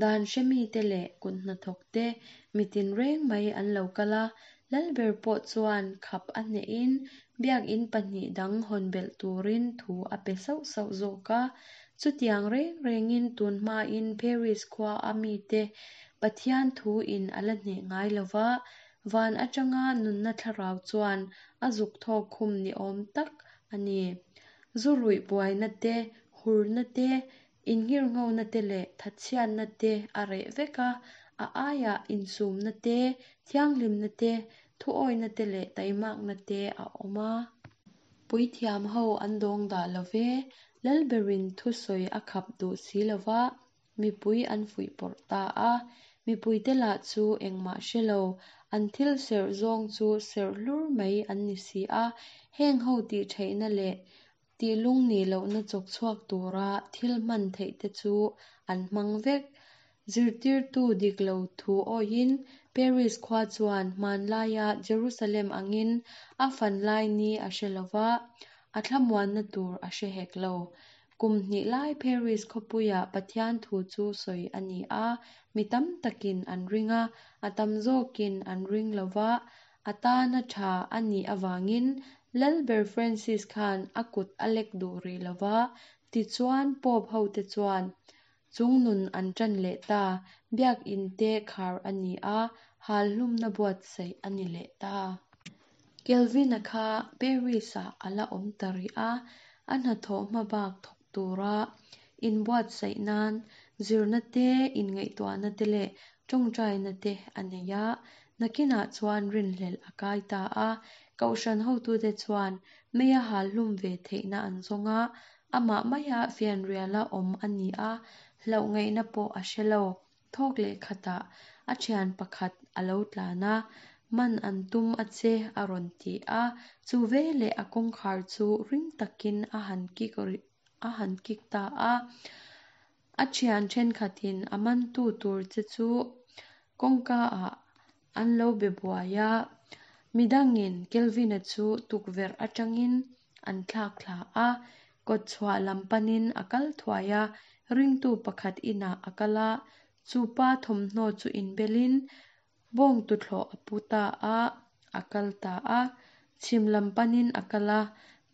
dan hre mite leh kut hnathawk te mi tinreng mai an lo kal a, Lalber pawh chuan khap a hnehin Biak In pahnih dang hawn belh turin thu a pe sauh sauh zawk a. Chutiang reng rengin tun hmain Paris khua a mite Pathian thu in a la hneh ngai lo va, van atanga nunna thlarau chuan a zuk thawk khum ni awm tak a ni. Zu ruih buaina te, hurna te, innghirnghona te leh thatchhiatna te a reh vek a, a aiah insumna te, thianghlimna te, thuawihna te leh taimakna te a awm a. Puithiam ho an dawng dah lo ve, Lalberin thusawi a khap duh si lo va, mipui an fuihpawrh ta a. Mipuite lah chu engmah hre lo, an thil serh zawng chu serh hlur mai an ni si a. Heng ho tih theihna leh tih lungnih lohna chawk chhuak tura thil hman theih te chu an hmang vek. Zirtirtu dik lo thu awihin Paris khua chuan hmanlaia Jerusalem angin a fan lai ni a hre lo va, a thlamuanna tur a hre hek lo. Kum hnih lai Paris khawpuia Pathian thu chu sawi a ni a, mi tam takin an ring a, a tam zawkin an ring lo va, a tana tha a nih avangin Lalber Francis khan a kut a lek duh rih lo va, tichuan Pope hote chuan Chungnun an ṭan leh ta, Biak In te khar a ni a, hal hlumna buatsaih a ni leh ta. Kelvin-a kha Paris-ah a la awm ta rih a, a hnathawh hmabak thawk tura inbuatsaih nan zirna te, inngaihtuahna te leh ṭawngṭaina te a nei a, nakinah chuan rinhlelh a kai ta a. Kohhran hotute chuan meia hal hlum ve theihna an zawng a, Amah maia fianriala awm a ni a, hlauh ngaihna pawh a hre lo. Thawk leh khatah a thian pakhat a lo tlan a, Man an tum a che a rawn ti a, chu veleh a kawngkhar chu ring takin a han kik a han kik ta a. A thian thenkhatin a mantu tur che chu kawngka ah an lo be buai a, midangin Kelvin-a chu tukverh atangin an thlak thla a, kawtchhuah lam panin a kal thuai a, ringtu pakhat inah a kal a, chu pa thawmhnaw chu inbelin bawng tuthlawh a pu ta a, a kal ta a, chhim lam panin a kal a,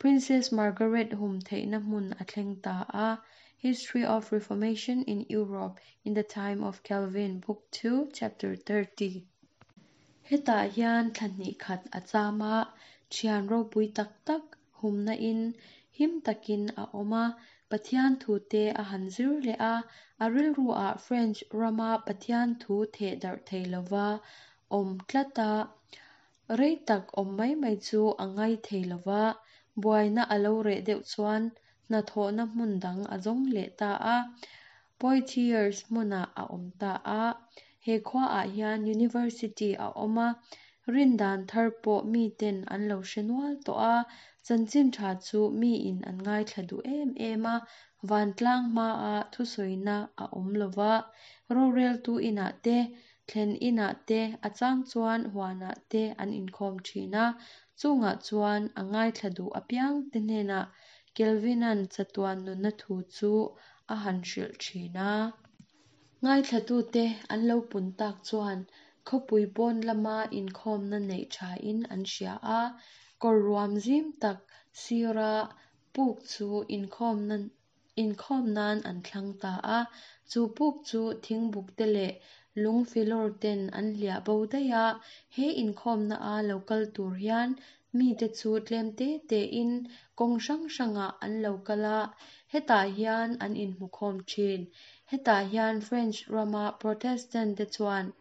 Princess Margaret hum theihna hmun a thleng ta a, History of Reformation in Europe in the Time of Calvin, Book 2, Chapter 30. Hetah hian thla hnih khat a cham a, thian ropui tak tak humna in him takin a awm a, Pathian thu te a han zir leh a, a rilru ah French rama Pathian thu theh darh thei lova awm tlat a, rei tak awm mai mai chu a ngai thei lova, buaina a lo reh deuh chuan hnathawhna hmun dang a zawng leh ta a, Poitiers hmunah a awm ta a. He khuaah hian University a awm a, rindan thar pawh miten an lo hre nual tawh a, chanchin tha chu miin an ngaithla duh em em a, vantlang hmaa thusawina a awm lo va, roreltu inah te, thlen inah te, a chang chuan huanah te an inkhawm thin a, chungah chuan a ngaithla duh apiangte hnenah Kelvin-a'n chatuan nunna thu chu a han hrilh thin a. Ngaithlatute an lo pun tak chuan khawpui pawn lama inkhawmna neih thain an hria a, kawr ruam zim tak sira puk chu inkhawmna inkhawm nan an thlang ta a. Chu puk chu thingbuk te leh lung filawr ten an hliah bo daih a, he inkhawmna a lo kal tur hian Mite chu tlem te tein kawng hrang hrangah an lo kal a, hetah hian an inhmukhawm thin. Hetah hian French rama Protestant te chuan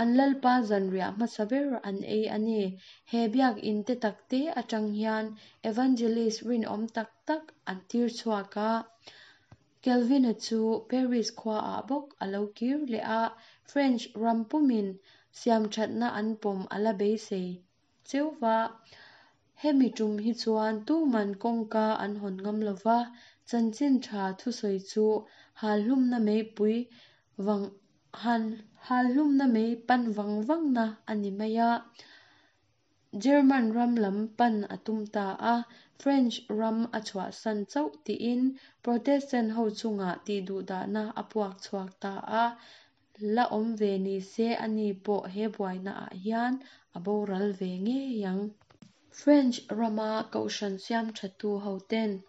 an Lalpa zanriah hmasa ber an ei a ni. He biakinn te tak te atang hian evangelist rinawm tak tak an tir chhuak a. Calvin-a chu Paris khuaah bawk a lo kir leh a, French ram pumin siamthatna an pawm a la beisei cheu va. Hemi tum hi chuan tuman kawngka an hawn ngam lo va, chanchin tha thusawi chu halhlumna meipui vang halhlumna mei pan vang vangna a ni mai a. German ram lam pan a tum ta a, French ram a chhuahsan chauh tiin Protestant ho chungah tihduhdahna a puak chhuak ta a, la awm ve ni se ani pawh he buaina ah hian a boral ve ngei ang. French rama kohhran siamthatu hoten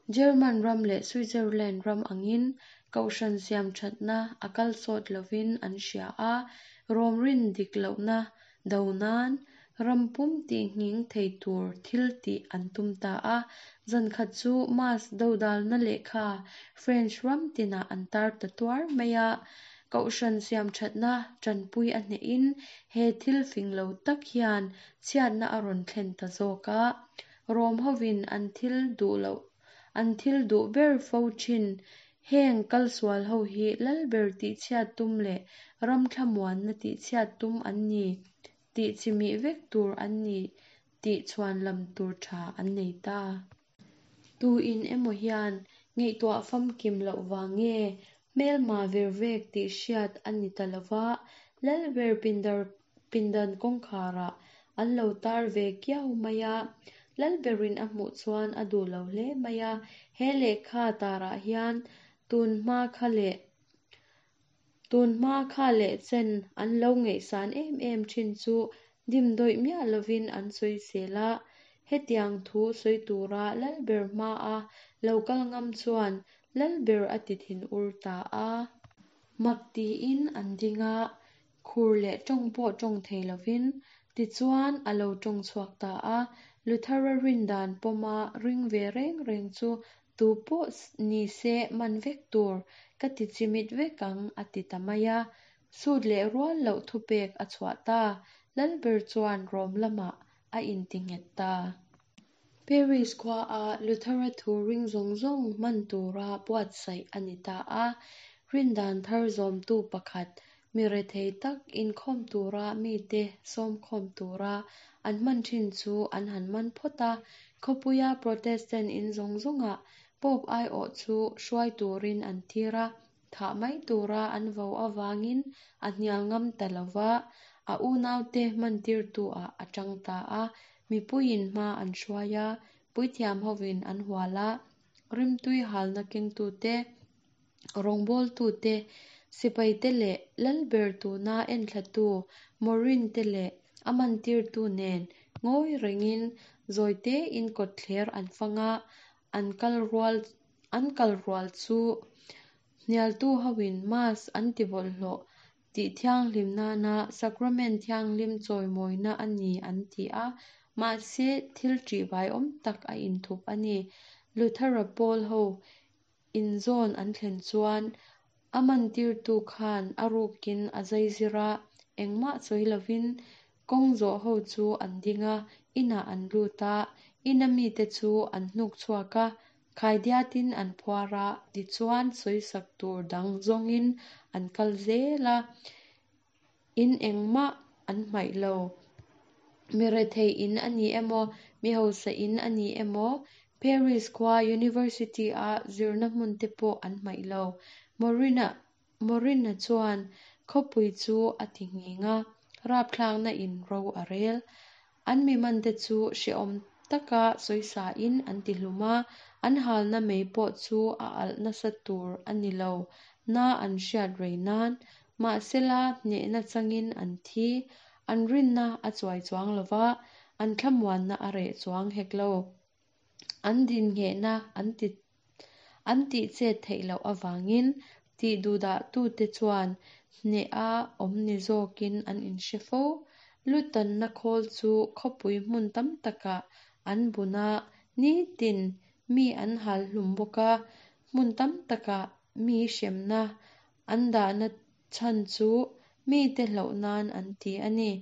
German ram leh Switzerland ram angin kohhran siamthatna a kal sawt lovin an hria a, Rom rin dik lohna do nan ram pum tihnghing thei tur thil tih an tum ta a. Zan khat chu Mass dodalna lehkha French ram tinah an tar ta tuar mai a. Kohhran siamthatna tanpui a hnehin he thil fing lo tak hian chhiatna a rawn thlen ta zawk a. Rom hovin an thil duh loh an thil duh ber fo thin heng kalsual ho hi lalber tihchhiat tum leh ram thlamuanna tihchhiat tum an ni tih chimih vek tur an ni tih chhuanlam tur tha an nei ta. Tu in emaw hian ngaihtuah famkim loh vang nge hmelma ver vek tih hriat a ni ta lova, lalber pindan kawngkharah an lo tar ve kiau mai a. Lalberin a hmuh chuan a duh lo hle mai a, he lehkha tarah hian tun hma kha leh tun hma kha leh chen an lo ngaihsan em em thin chu dimdawih miah lovin an sawisel a. Hetiang thu sawi tura lalber hmaa lo kal ngam chuan lalber a ti thinur ta a. Mak tiin an ding a, khur leh tawng pawh tawng thei lovin tichuan a lo tawng chhuak ta a. Luthera rindan pawma ring ve reng reng chu tu pawh ni se man vek tur ka ti chimit vek ang a ti ta mai a. Sut leh rual loh thupek a chhuah ta. Lalber chuan Rom lamah a inti nghet ta. Paris khuaa Luthera thu ring zawng zawng hman tura buatsaih a ni ta a. Rindan thar zawmtu pakhat, mi rethei tak inkhawm tura mite sawmkhawm tura an hman thin chu an han man phawt a. Khawpuia Protestant in zawng zawngah Pope aiawh chu hruai turin an tir a, thah mai tura an vo avangin a hnial ngam ta lo va, a unaute hmantirtu-ah a tang ta a. Mipuiin hma an hruai a, puithiam hovin an hual a, rimtui halna kengtute, rawngbawltute, sipaite leh lalber tuna enthlatu Morin-te leh a mantirtu nen ngawi rengin zawitein kawtthler an fang a, an kal rual an kal rual chu hnialtu hoin Mass an ti bawlhhlawh tih thianghlim nana Sacrament thianghlim chawimawina a ni an ti a, mahse thil ṭihbaiawm tak a inthup a ni. Luthera pawl ho inzawn an thlen chuan a mantirtu khan a rukin a zaizir a, engmah sawi lovin kawng zawh ho chu an ding a, inah an lut a, ina mite chu an hnuk chhuak a, khaidiatin an phuar a, tichuan sawisak tur dang zawngin an kal zel a, in engmah an hmaih lo. Mi rethei in a ni emaw, mi hausa in a ni emaw, Paris khua University-a zirna hmun te pawh an hmaih lo. Morin-a Morin-a chuan khawpui chu a ti nghing a, rapthlakna in ro a rel. An mi mante chu hrehawm taka sawisain an ti hlum a, an halna mei pawh chu a alh nasa tur a ni lo na an hriat rei nan. Mahsela hnehna changin an thi, an rinna a chuai chuang lo va, an thlamuanna a reh chuang hek lo. An dinghehna an ti an tih chet theih loh avangin tih duhdahtute chuan hneha awm ni zawkin an inhre fo. Lutanna khawl chu khawpui hmun tam takah an bun a, nitin mi an hal hlum bawk a, hmun tam takah mi hremna an dahna chhan chu mite hlauh nan an ti a ni.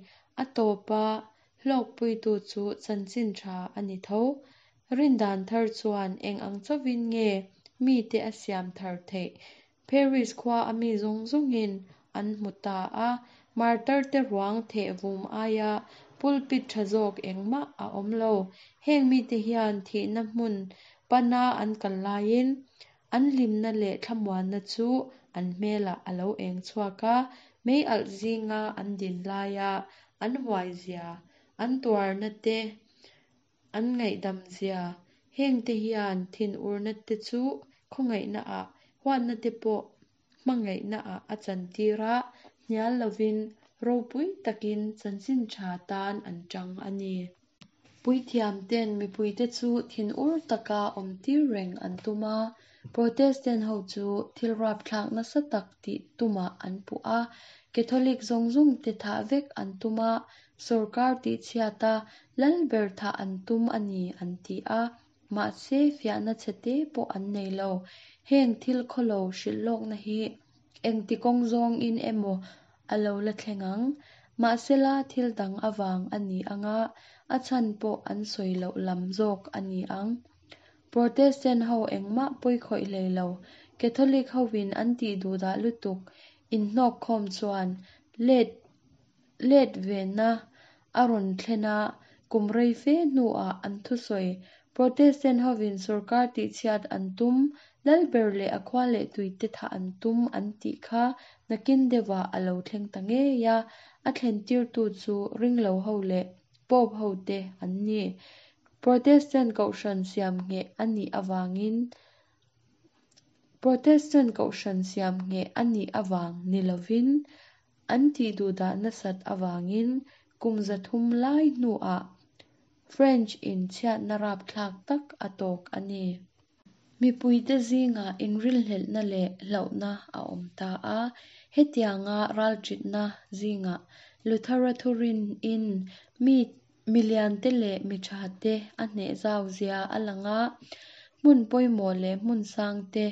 A tawpa hlawkpuitu chu chanchin tha a ni tho. Rindan thar chuan eng ang chauhin nge mite a siam thar theih? Paris khua a mi zawng zawngin an hmu ta a, martar te ruang theh vum aia pulpit tha zawk engmah a awm lo. Heng mite hian thihna hmun pana an kal laiin an hlimna leh thlamuanna chu an hmelah a lo eng chhuak a, mei alh zinga an din laia an huai zia, an tuarna te, an ngaihdam zia, heng te hian thinurna te chu khawngaihna ah, huatna te pawh hmangaihna ah a chantir a, hnial lovin ropui takin chanchin tha tan an tang a ni. Puithiamten mipuite chu thinur taka awmtir reng an tum a, Protestant ho chu thil rapthlak nasa tak tih tumah an puh a, Catholic zawng zawngte thah vek an tum a, sawrkar tihchhiat a, lal ber thah an tum a ni an ti a, mahse fiahna chhete pawh an nei lo. Heng thil khawlo hrilhlawkna hi engti kawng zawngin emaw a lo la thleng ang. Mahsela thil dang avang a ni ang a, a chhan pawh an sawi loh lam zawk a ni ang. Protestant ho engmah pawi khawih hlei lo, Catholic hovin an tih duhdah lutuk inhnawk khawm chuan let let vena a rawn thlen a, kum rei fe hnuah an thusawi Protestant hovin sawrkar tihchhiat an tum, lalber leh a khua leh tuite thah an tum an tih kha nakin deuhah a lo thleng ta ngei a, a thlentirtu chu ringlo ho leh Pope hote an ni. Protestant kohhran siam ngheh a nih avangin Protestant kohhran siam ngheh a nih avang ni lovin an tihduhdah nasat avangin kum 300 lai hnuah French in chhiatna rapthlak tak a tawk a ni. Mipuite zingah inrilhlelhna leh hlauhna a awm ta a, hetianga ralṭitna zingah Luthera thurin-in mi miliante leh mi ṭhate a hneh zau zia a lang a, hmun pawimawh leh hmun sangte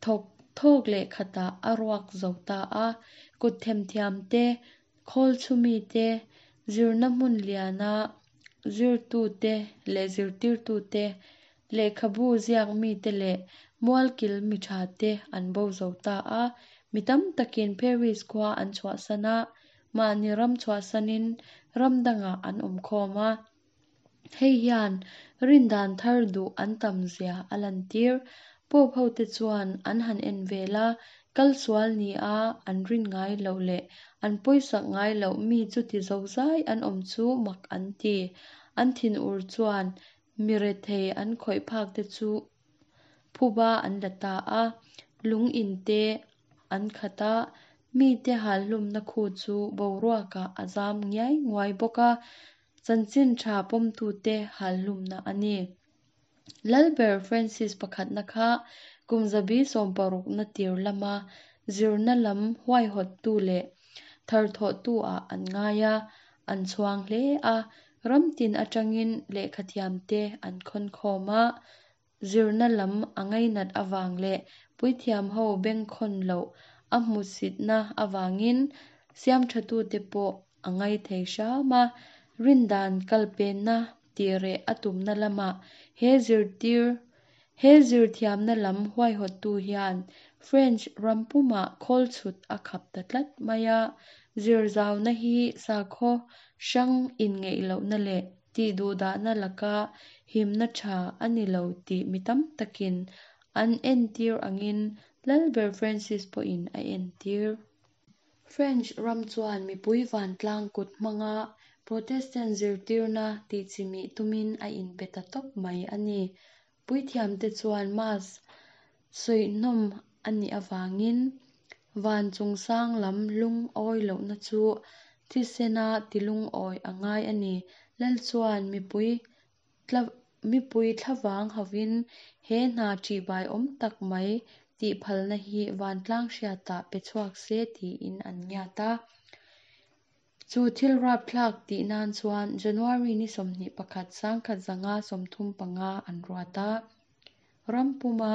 thawk thawk leh khatah a ruak zo ta a, kut themthiam te, khawl chhumi te, zirna hmun liana zirtute leh zirtirtute, lehkhabu ziak mite leh mualkil mi ṭhate an bo zo ta a. Mi tam takin Paris khua an chhuahsan a, mahni ram chhuahsanin ram dangah an awm khawm a. Hei hian rindan thar duh an tam zia a lantir. Pope hote chuan an han en vel a, kal sual ni a an rin ngai loh leh an pawisak ngai loh mi chuti zozai an awm chu mak an ti. An thinur chuan mi rethei an khawih phak te chu phuba an la ta a, lung in te an khat a, mite halhlumna khu chu boruakah a zam ngiai nguai bawk a, chanchin tha pawmtute halhlumna a ni. Lalber Francis pakhatna kha kum 1600na tir lama zirna lam huaihawttu leh tharthawhtu ah an ngai a, an chhuang hle a, ram tin atangin lehkhathiamte an khawn khawm a, zirna lam a ngainat avang leh puithiam ho bengkhawn loh a hmusitna avangin siamthatute pawh a ngai thei hram a, rindan kalpenna tireh a tumna lamah he zirtir he zirthiamna lam huaihawttu hian French ram pumah khawl chhut a khap ta tlat mai a, zirzauna hi sakhaw hrang inngeih lohna leh tihduhdahna laka himna tha a ni lo tih mi tam takin an entir angin Lalber Francis pawhin a entir. French ram chuan mipui vantlang kut hmanga Protestant zirtirna tihchimih tumin a inpe ta tawp mai a ni. Puithiamte chuan Mass sawihnawm a nih avangin van chungsang lam lungawi lohna chu thisena tilungawi a ngai a ni. Lal chuan mipui mipui thlavang hovin he hna ṭihbai awm tak mai tih phalna hi vantlang hriatah pe chhuak se tiin an ngiat a. Chu thil rapthlak tih nan chuan January ni 21 1935 an ruat a. Ram puma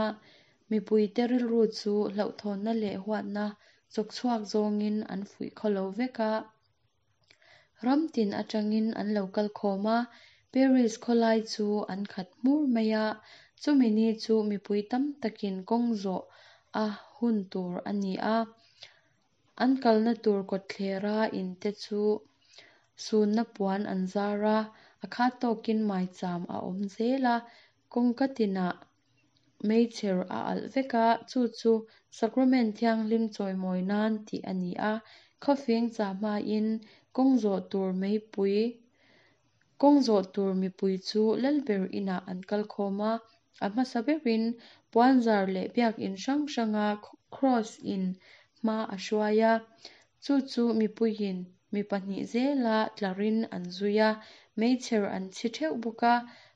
mipuite rilru chu hlauhthawnna leh huatna chawkchhuak zawngin an fuih khawlo vek a. Ram tin atangin an lo kal khawm a, Paris khawlai chu an khat hmur mai a, chumi ni chu mipui tam takin kawng zawh a hun tur a ni a. An kalna tur kawtthlera in te chu sunna puan an zar a, a khat tawkin maicham a awm zel a, kawngka tinah meichher a alh vek a, chu chu sacrament thianghlim chawimawi nan tih a ni a, khawfing cha hmain kawng zawh tur meipui kawng zawh tur mipui chu lalber inah an kal khawm a, a hmasa berin puanzar leh biakin hrang hranga cross in hma a hruai a, chu chu mipuiin mi pahnih zela tlarin an zui a, Meichher an chhi theuh bawk a,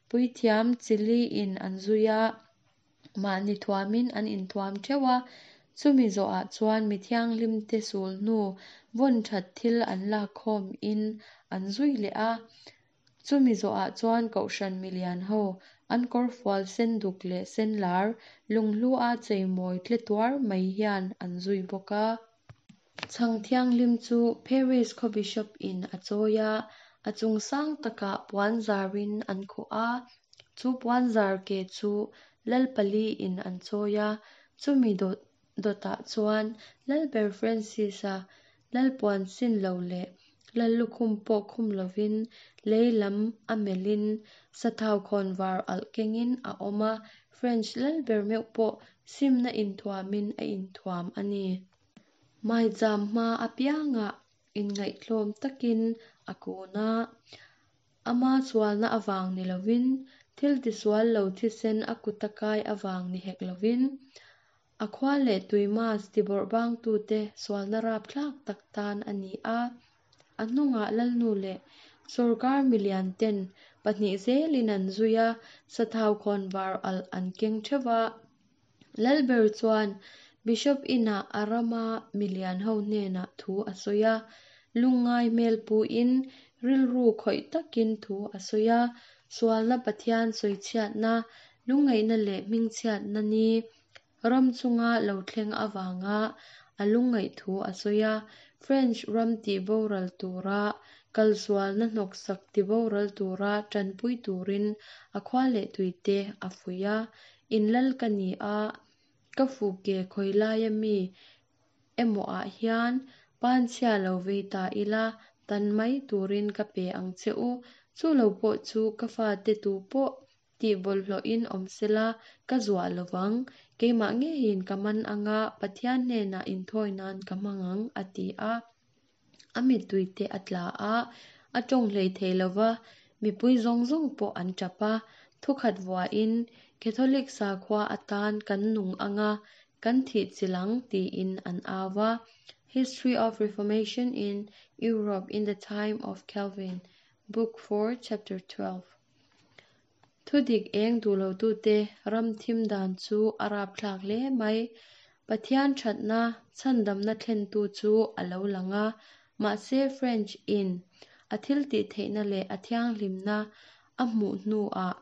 puithiam chi liin an zui a, mahni thuamin an inthuam theuh a. Chumi zawhah chuan mi thianghlimte sulhnu vawn that thil an lakkhawmin an zui leh a. Chumi zawhah chuan Kohhran milian ho, an kawrfual sen duk leh sen lar, lunghlu a cheimawi tle tuar mai hian an zui bawk a. Chhang thianghlim chu Paris khaw Bishop in a chawi a, a chung sang takah puan zarin an khuh a, chu puan zar ke chu Lal pali in an chawi a, chumi dawt dawtah chuan Lalber Francis-a Lalpuan sin lo leh Lallukhum pawh khum lovin lei lam a melhin sathau khawnvar alh kengin a awm a, French lalber meuh pawh simna inthuamin a inthuam a ni. Maicham hma apiangah inngaihtlawm takin a kun a, ama sualna avang ni lovin, thil tisual lo thisen a kuta kai avang ni hek lovin, A khua leh tui mass tibawrhbangtute sualna rapthlak tak tan a ni a. A hnungah Lalnu leh sawrkar milian ten pahnih zelin an zui a, sathau khawnvar alh an keng theuh va. Lalber chuan Bishop inah a rama milian ho hnenah thu a sawi a, lungngai hmel puin rilru khawih takin thu a sawi a, sualna Pathian sawichhiatna, lungngaihna leh hmingchhiatna ni Ram chunga lo thleng avanga a lungngaih thu a sawi a, French ram tihboral tura kalsualna hnawksak tiboral tura tanpui turin a khua leh tuite a fuih a, In lal ka ni a, ka fuke khawilaia mi emaw ah hian panchhia lo vei ta ila, tan mai turin ka pe ang che u, chu lo pawh chu ka fate tu pawh Tih bawlhhlawhin awm sela, ka zuah lo vang. Keimah ngeiin ka man anga Pathian hnenah inthawi nan ka hmang ang, a ti a. A mittui te a tla a, a tawng hlei thei lo va, mipui zawng zawng pawh an tap a. Thukhat vuahin, Catholic sakhua atan kan nung anga kan thih chilh ang, tiin an au va. History of Reformation in Europe in the Time of Calvin, Book 4, Chapter 12. Thudik eng duh lotute ram thim dan chu a rapthlak hle mai. Pathian thatna, chhandamna thlentu chu a lo lang a, mahse French in a thiltihtheihna leh a thianghlimna a hmuh hnuah,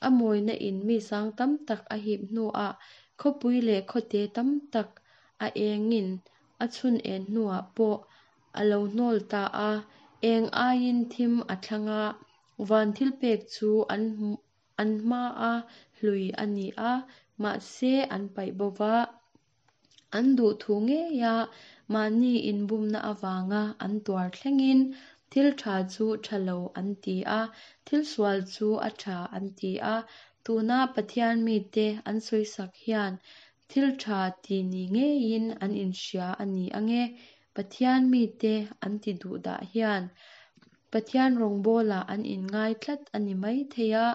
a mawina in mi sang tam tak a hip hnuah, khawpui leh khawte tam tak a engin a chhun en hnuah pawh a lo hnawl ta a, eng aiin thim a thlang a, Van thilpek chu an an hmaa hlui a ni a, mahse an paih bo va. An duhthu ngeia mahni inbumna avanga an tuar thlengin thil tha chu tha lo an ti a, thil sual chu a tha an ti a. Tuna Pathian mite an sawisak hian thil tha ti ni ngeiin an inhria a ni ange. Pathian mite an ti duh dah hian Pathian rawngbawlah an inngai tlat a ni mai thei a,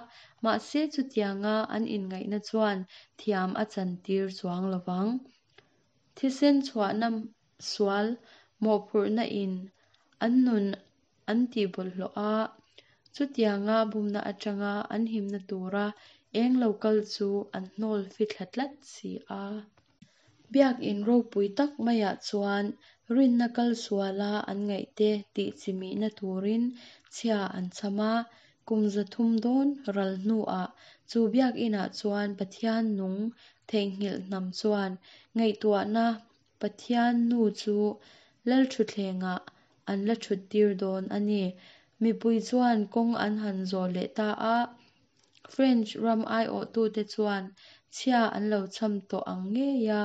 mahse chutianga an inngaihna chuan thiam a chantir chuang lo vang. Thisen chhuahna sual mawhphurhna in an nun an tih bawlhhlawh a, chutianga bumna atanga an himna tura eng lo kal chu an hnawl fithla tlat si a. Biakinn ropui tak maiah chuan rinna kal suala an ngaihte tih chimihna turin chhia an chham a, kum 300 dawn ral hnuah chu biakinah chuan Pathian nung theihnghilh hnam chuan ngaihtuahna Pathian nu chu Lalthutthlengah an la thuttir dawn a ni. Mipui chuan kawng an han zawh leh ta a, French ram aiawhtute chuan chhia an lo chham tawh ang ngeia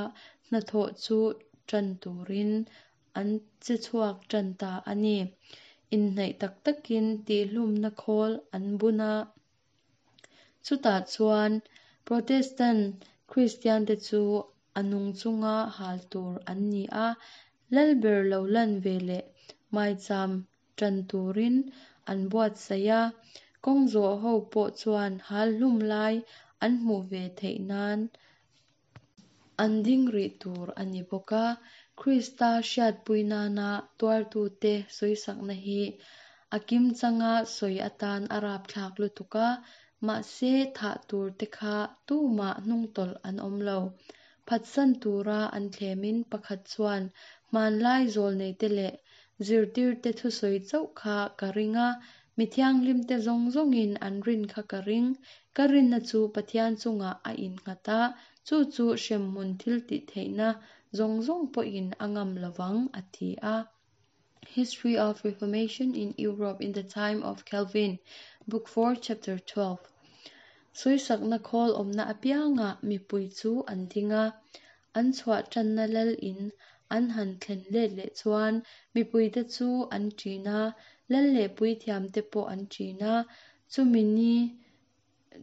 hnathawh chu tan turin an che chhuak tan ta a ni. Inhnaih tak takin tihhlumna khawl an bun a. Chutah chuan Protestant Kristiante chu a nung chunga hal tur an ni a, Lalber lo lan ve leh maicham tan turin an buatsaih a, kawng zawh ho pawh chuan hal hlum lai an hmuh ve theih nan an ding rih tur a ni bawk a. Krista hriatpui nana tuartute sawisakna hi A kimchanga sawi atan a rapthlak lutuk a, mahse thah tur te kha tumah hnungtawlh an awm lo. Phatsan tura an thlemin pakhat chuan hmanlai zawlneite leh zirtirte thusawi chauh kha ka ring a, mi thianghlimte zawng zawngin an rin kha ka ring. Ka rinna chu Pathian chungah a innghat a, chu chu hremhmun thiltihtheihna zawng zawng pawhin a ngam lovang, a ti a. History of Reformation in Europe in the Time of Calvin, Book 4, Chapter 12. Sawisakna khawl awmna apiangah mipui chu an ding a, an chhuah tanna lal in an han thlen let leh chuan mipuite chu an ṭin a, lal leh puithiamte pawh an ṭin a, chumi ni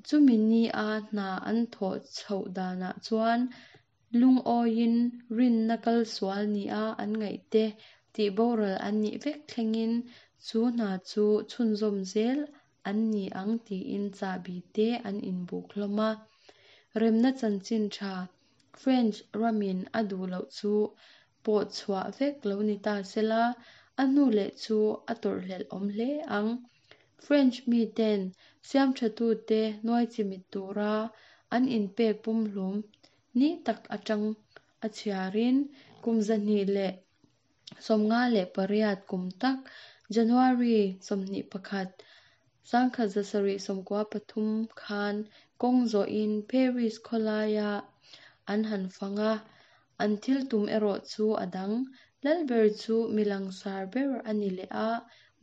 chumi ni a hna an thawh chhoh danah chuan Lungawiin rinna kal sual nia an ngaihte tihboral an nih vek thlengin chu hna chu chhunzawm zel an ni ang tiin chahbi te an inbuk hlawm a. Remna chanchin tha French ramin a duh loh chu pawh chhuah vek lo ni ta sela, a hnu leh chu a tawrhhlelh awm hle ang. French miten siamthatute nuai chimit tura an inpek pumhlum ni tak atang a chhiarin kum 258 kum tak January 21, 1793 khan kawng zawhin Paris khawlaia an han fang a, an thil tum erawh chu a dang. Lalber chu mi langsar ber a ni leh a,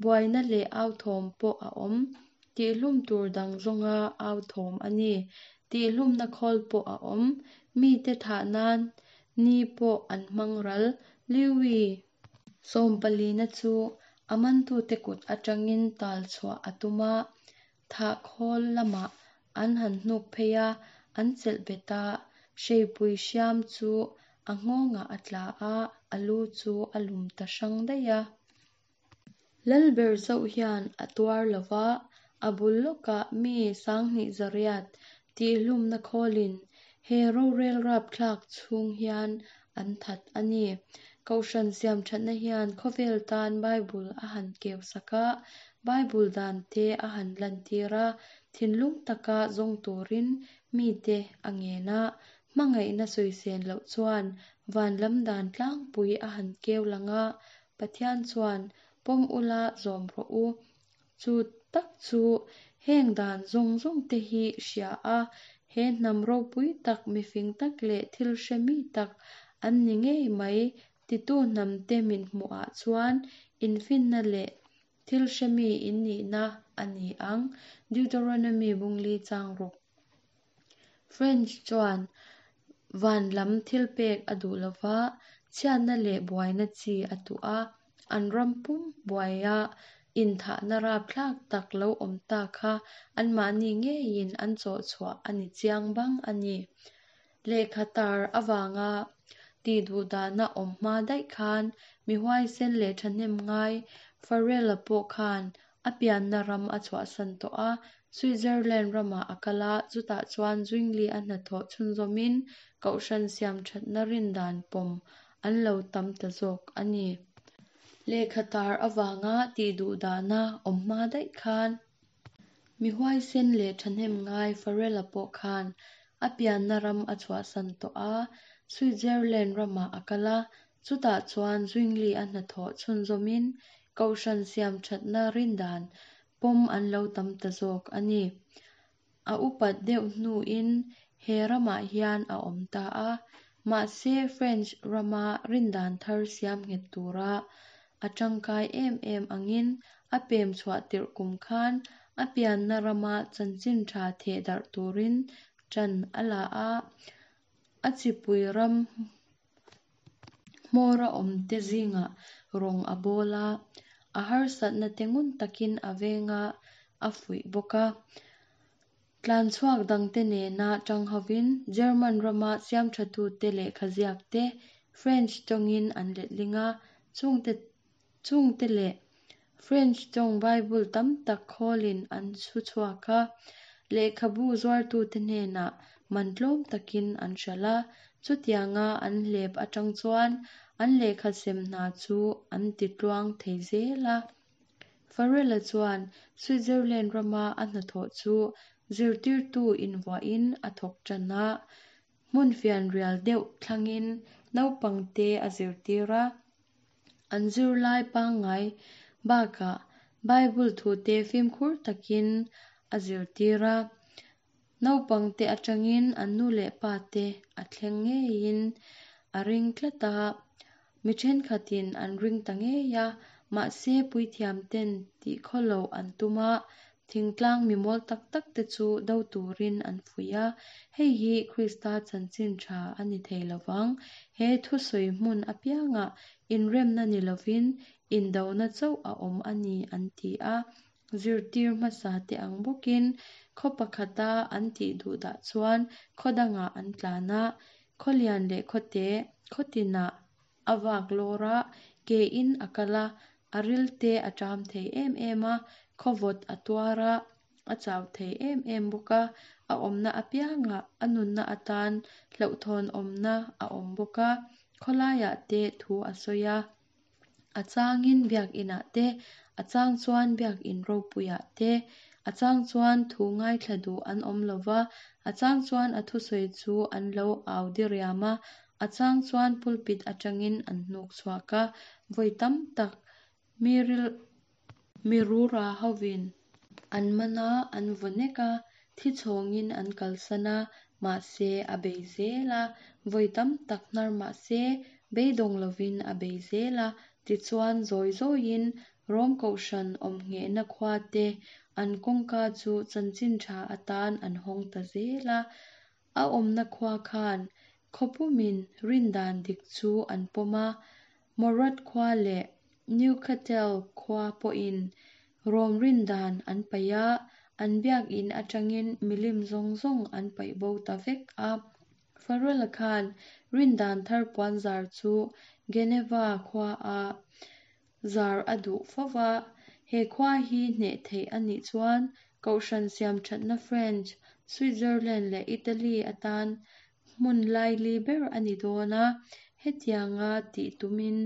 buaina leh authawm pawh a awm. Tihhlum tur dang zawnga authawm a ni. Tihhlumna khawl pawh a awm. Mite thah nan ni pawh an hmang ral. Liwi sawmpalina chu a mantute kut atangin tal chhuah a tum a, thah khawl lamah an han hnuk phei a, an chelh bet a, hreipui hriam chu a nghawngah a tla a, a lu chu a lum ta hrang daih a. Lalber chauh hian a tuar lo va, a bul lawkah mi sanghnih zariat tihhlumna khawlin he rorel rapthlak chhung hian an that a ni. Kohhran siamthatna hian khawvel tan Bible a han keu sak a, Bible dan te a han lantir a, thinlung taka zawng turin mite a ngen a, hmangaihna sawisel loh chuan van lam dan tlangpui a han keu lang a, Pathian chuan pawm ula zawm rawh u. Chu tak chu heng dan zawng zawng te hi hria a, he hnam ropui tak, mifing tak leh thil hre mi tak an ni ngei mai titu hnam te min hmuhah chuan infinna leh thil hre mi in nihna a ni ang. Deuteronomy bungli chang ruk. French chuan van lam thil pek a duh lova, chhiatna leh buaina chi a tuh a, an ram pum buaia inthahna rapthlak tak lo awm ta kha anmahni ngeiin an chawh chhuah a ni chiang bang a ni. Lehkha tar avanga tihduhdahna awm hma daih khan mi huaisen leh thahnem ngai Farrell-a pawh khan a pianna ram a chhuahsan tawh a, Switzerland ramah a kal a, chutah chuan Zwingli a hnathawh chhunzawmin kohhran siamthatna rindan pawm an lo tam ta zawk a ni. Lehkha tar avanga tihduhdahna awm hma daih khan mi huaisen leh thahnem ngai Farrell-a pawh khan a pianna ram a chhuahsan tawh a, Switzerland ramah a kal a, chutah chuan Zwingli a hnathawh chhunzawmin kohhran siamthatna rindan pawm an lo tam ta zawk a ni. A upat deuh hnuin he ramah hian a awm ta a, mahse French rama rindan thar siam nghet tura a tangkai em em angin a pem chhuah tirh kum khan a pianna rama chanchin tha theh darh turin ṭan a la a, a chipui ram hmawra awmte zingah rawng a bawl a, a harsatna te ngun takin a veng a, a fuih bawk a. Tlanchhuak dangte nena tang hovin German rama siamthatute lehkha ziakte French tawngin an letling a, chungte chungte leh French tawng Bible tam tak khawlin an chhu chhuak a, lehkhabu zuartute hnenah man tlawm takin an hralh a, chutianga an hlep atang chuan an lehkha sem hna chu an ti tluang thei zel a. Farrell-a chuan Switzerland rama a hnathawh chu zirtirtu invuahin a thawk tan a. Hmun fianrial deuh thlangin naupangte a zirtir a. An zirlai pangngai bakah Bible thute fimkhur takin a zirtir a. Naupangte atangin an nu leh pate a thleng ngeiin a ring tlat a. Mi thenkhatin an ring ta ngei a, mahse puithiamten tihkhaw loh an tum a, thingtlang mi mawl tak tak te chu do turin an fuih a. Hei hi Krista chanchin tha a ni thei lovang. He thusawi hmun apiangah inremna ni lovin indona chauh a awm a ni an ti a. Zirtir hmasa te ang bawkin khaw pakhata an tih duh dah chuan khaw dangah an tlan a, khaw lian leh khaw te, khaw tinah a vak lawr a, ke in a kal a, a ril te a ṭam thei em em a, khaw vawt a tuar a, a chau thei em em bawk a, a awmna apiangah a nunna atan hlauhthawn awmna a awm bawk a, khawlaiah te thu a sawi a. A changin biakinah te, a chang chuan biakin ropuiah te, a chang chuan thu ngaithla duh an awm lo va, a chang chuan a thusawi chu an lo au diriam a, a chang chuan pulpit atangin an hnuk chhuak a, vawi tam tak mi ril mi rura hovin an man a, an vaw nek a, thi chhawngin an kalsan a, mahse a bei zel a, vawi tam tak hnar mahse beidawng lovin a bei zel a, tichuan zawi zawiin Rom Kohhran awm nghehna khua te an kawngka chu chanchin tha atan an hawng ta zel a, a awmna khua khan khaw pumin rindan dik chu an pawm a, Morat khua leh Newcastle khua pawhin Rom rindan an paih a, an biakin atangin milim zawng zawng an paih bo ta vek a. Farrell-a khan rindan thar puanzar chu Geneva khuaah zar a duh fo va, he khua hi hneh theih a nih chuan Kohhran siamthatna French, Switzerland leh Italy atan hmun laili ber a ni dawn a, hetianga tih tumin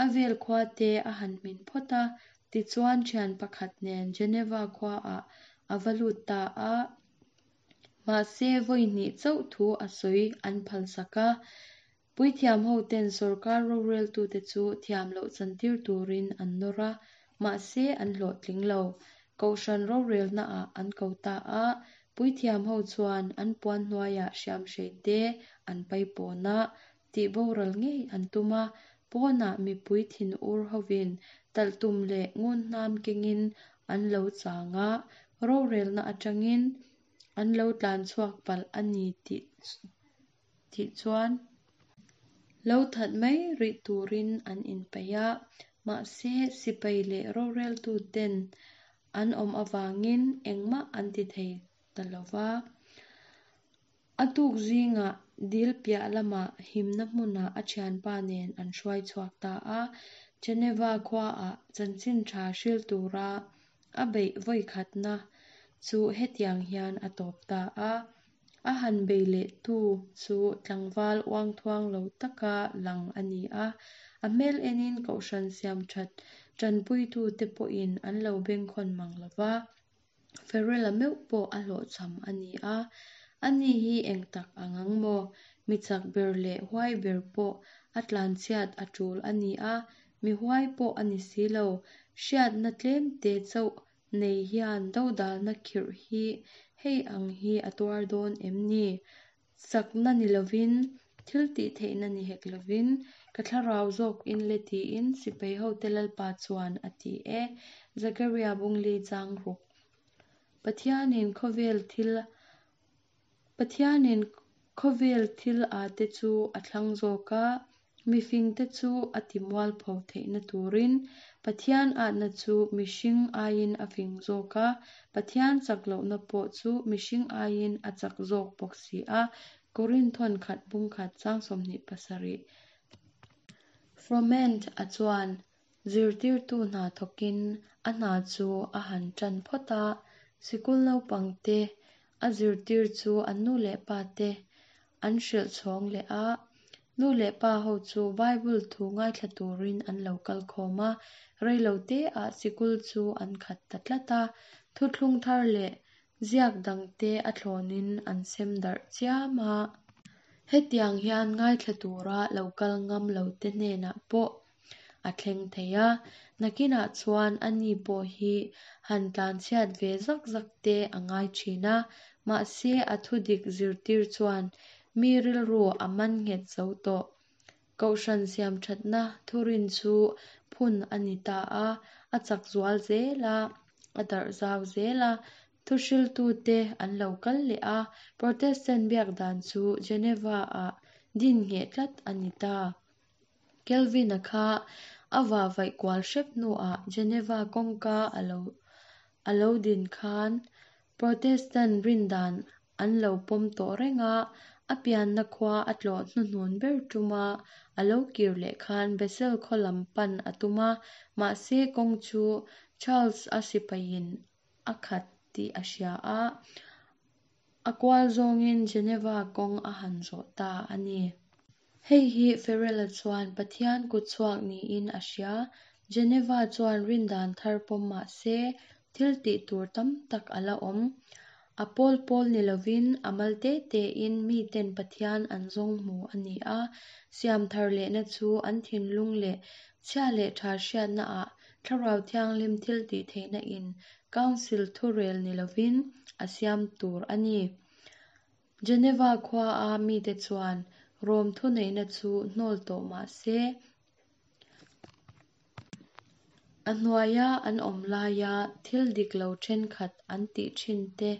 a vel khua te a han hmin phawt a, tichuan thian pakhat nen Geneva khuaah a va lut ta a. Mahse vawi hnih chauh thu a sawi an phalsak a, Puithiam hoten sorkar roreltute chu thiam loh chantir turin an nawr a, mahse an hlawhtling lo. Kohhran rorelnaah an ko ta a, puithiam ho chuan an puan hnuaiah hriamhrei te an paipawn a, tihboral ngei an tum a, pawnah mipui thinur hovin talhtum leh ngunhnam kengin an lo chang a, rorelna atangin an lo tlanchhuak palh a ni tih tih chuan lo that mai rih turin an inpeih a, mahse sipai leh roreltuten an awm avangin engmah an ti thei ta lo va. A tuk zingah dil piah lamah himna hmunah a thianpa nen an hruai chhuak ta a, Geneva khuaah chanchin tha hril tura a beih vawikhatna chu hetiang hian a tawp ta a. A han bei leh tu chu tlangval uangthuang lo taka lang a ni a, a hmel enin kohhran siam that tanpuitute pawhin an lo bengkhawn mang lo va, Farrell-a meuh pawh a hlawhchham a ni a. Ani hi eng tak ang ang maw? Mi chak ber leh huai ber pawh a tlanchhiat a tul a ni a, mi huai pawh a ni si lo. Hriatna tlemte chauh nei hian dodalna khirh hi hei ang hi a tuar dawn em ni? Chakna ni lovin, thil tih theihna ni hek lovin, ka thlarau zawk in le tiin sipai hote Lalpa chuan a ti e. Zakaria Bungli chang ruk. Pathianin khawvel thil Pathianin khawvel thil a te chu a thlang zawk a, mifingte chu a ti mualpho theihna turin Pathian atna chu mihring aiin a fing zawk a, Pathian chak lohna pawh chu mihring aiin a chak zawk bawk si a, Korinthon khat bung khat chang 27. Froment a chuan Zirtirtu hna thawkin a hna chu a han tan phawt a, sikul naupangte a zirtir chu an nu leh pate an hrilh chhawng leh a. Nu leh pa ho chu Bible thu ngaithla turin an lo kal khawm a, rei lo te ah sikul chu an khat ta tlat a. Thuthlung thar leh ziak dangte a thlawnin an sem darh chiam a. Hetiang hian ngaithla tura lo kal ngam lote hnenah pawh a thleng thei a, nakinah chuan ani pawh hi han tlanchhiat ve zak zak te a ngai thin a, mahse a thudik zirtir chuan mi rilru a man nghet zo tawh. Kohhran siamthatna thurin chu phun a ni ta a, a chak zual zel a, a darh zau zel a, thuhriltute an lo kal leh a, Protestant biak dan chu Geneva-ah din ngheh tlat a ni ta. Kelvin-a kha a vahvaih kual hrep hnuah Geneva kawngka a lo a lo din khan Protestant rindan an lo pawm tawh reng a, a pianna khua a tlawh hnuhnun ber tuma a lo kir leh khan Basel khaw lam pan a tum a, mahse kawng chu Charles-a sipaiin a khat tih a hria a, a kual zawngin Geneva kawng a han zawh ta a ni. Hei hi Farrell-a chuan Pathian kutchhuak niin a hria. Geneva chuan rindan thar pawm mah se, thil tih tur tam tak a la awm. A pawl pawl ni lovin a mal te tein miten Pathian an zawng hmu a ni a, siam thar lehna chu an thinlung leh chhia leh tha hriatnaah Thlarau Thianghlim thil tih theihna in Council thurel ni lovin a siam tur a ni. Geneva khuaa mite chuan Rom thuneihna chu hnawl tawh mah se, a hnuaia an awm laia thil dik lo thenkhat an tih thin te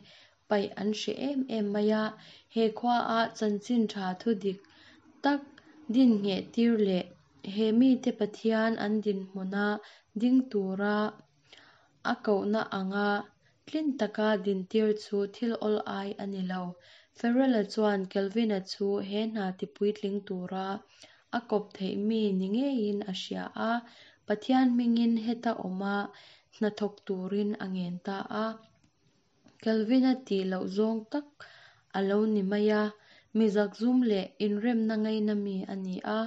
paih an hreh em em mai a. He khuaa chanchin tha thu dik tak din ngheh tir leh he mite Pathian an dinhmuna ding tura a kohna anga Tlin taka dintir chu thil awl ai a ni lo. Farrell-a chuan Kelvin-a chu he hna tipuitling tura a kawp theih mi ni ngeiin a hria a, Pathian hmingin heta awma hna thawk turin a ngen ta a. Kelvin-a tih loh zawng tak a lo ni mai a, mi zakzum leh inremna ngaina mi a ni a,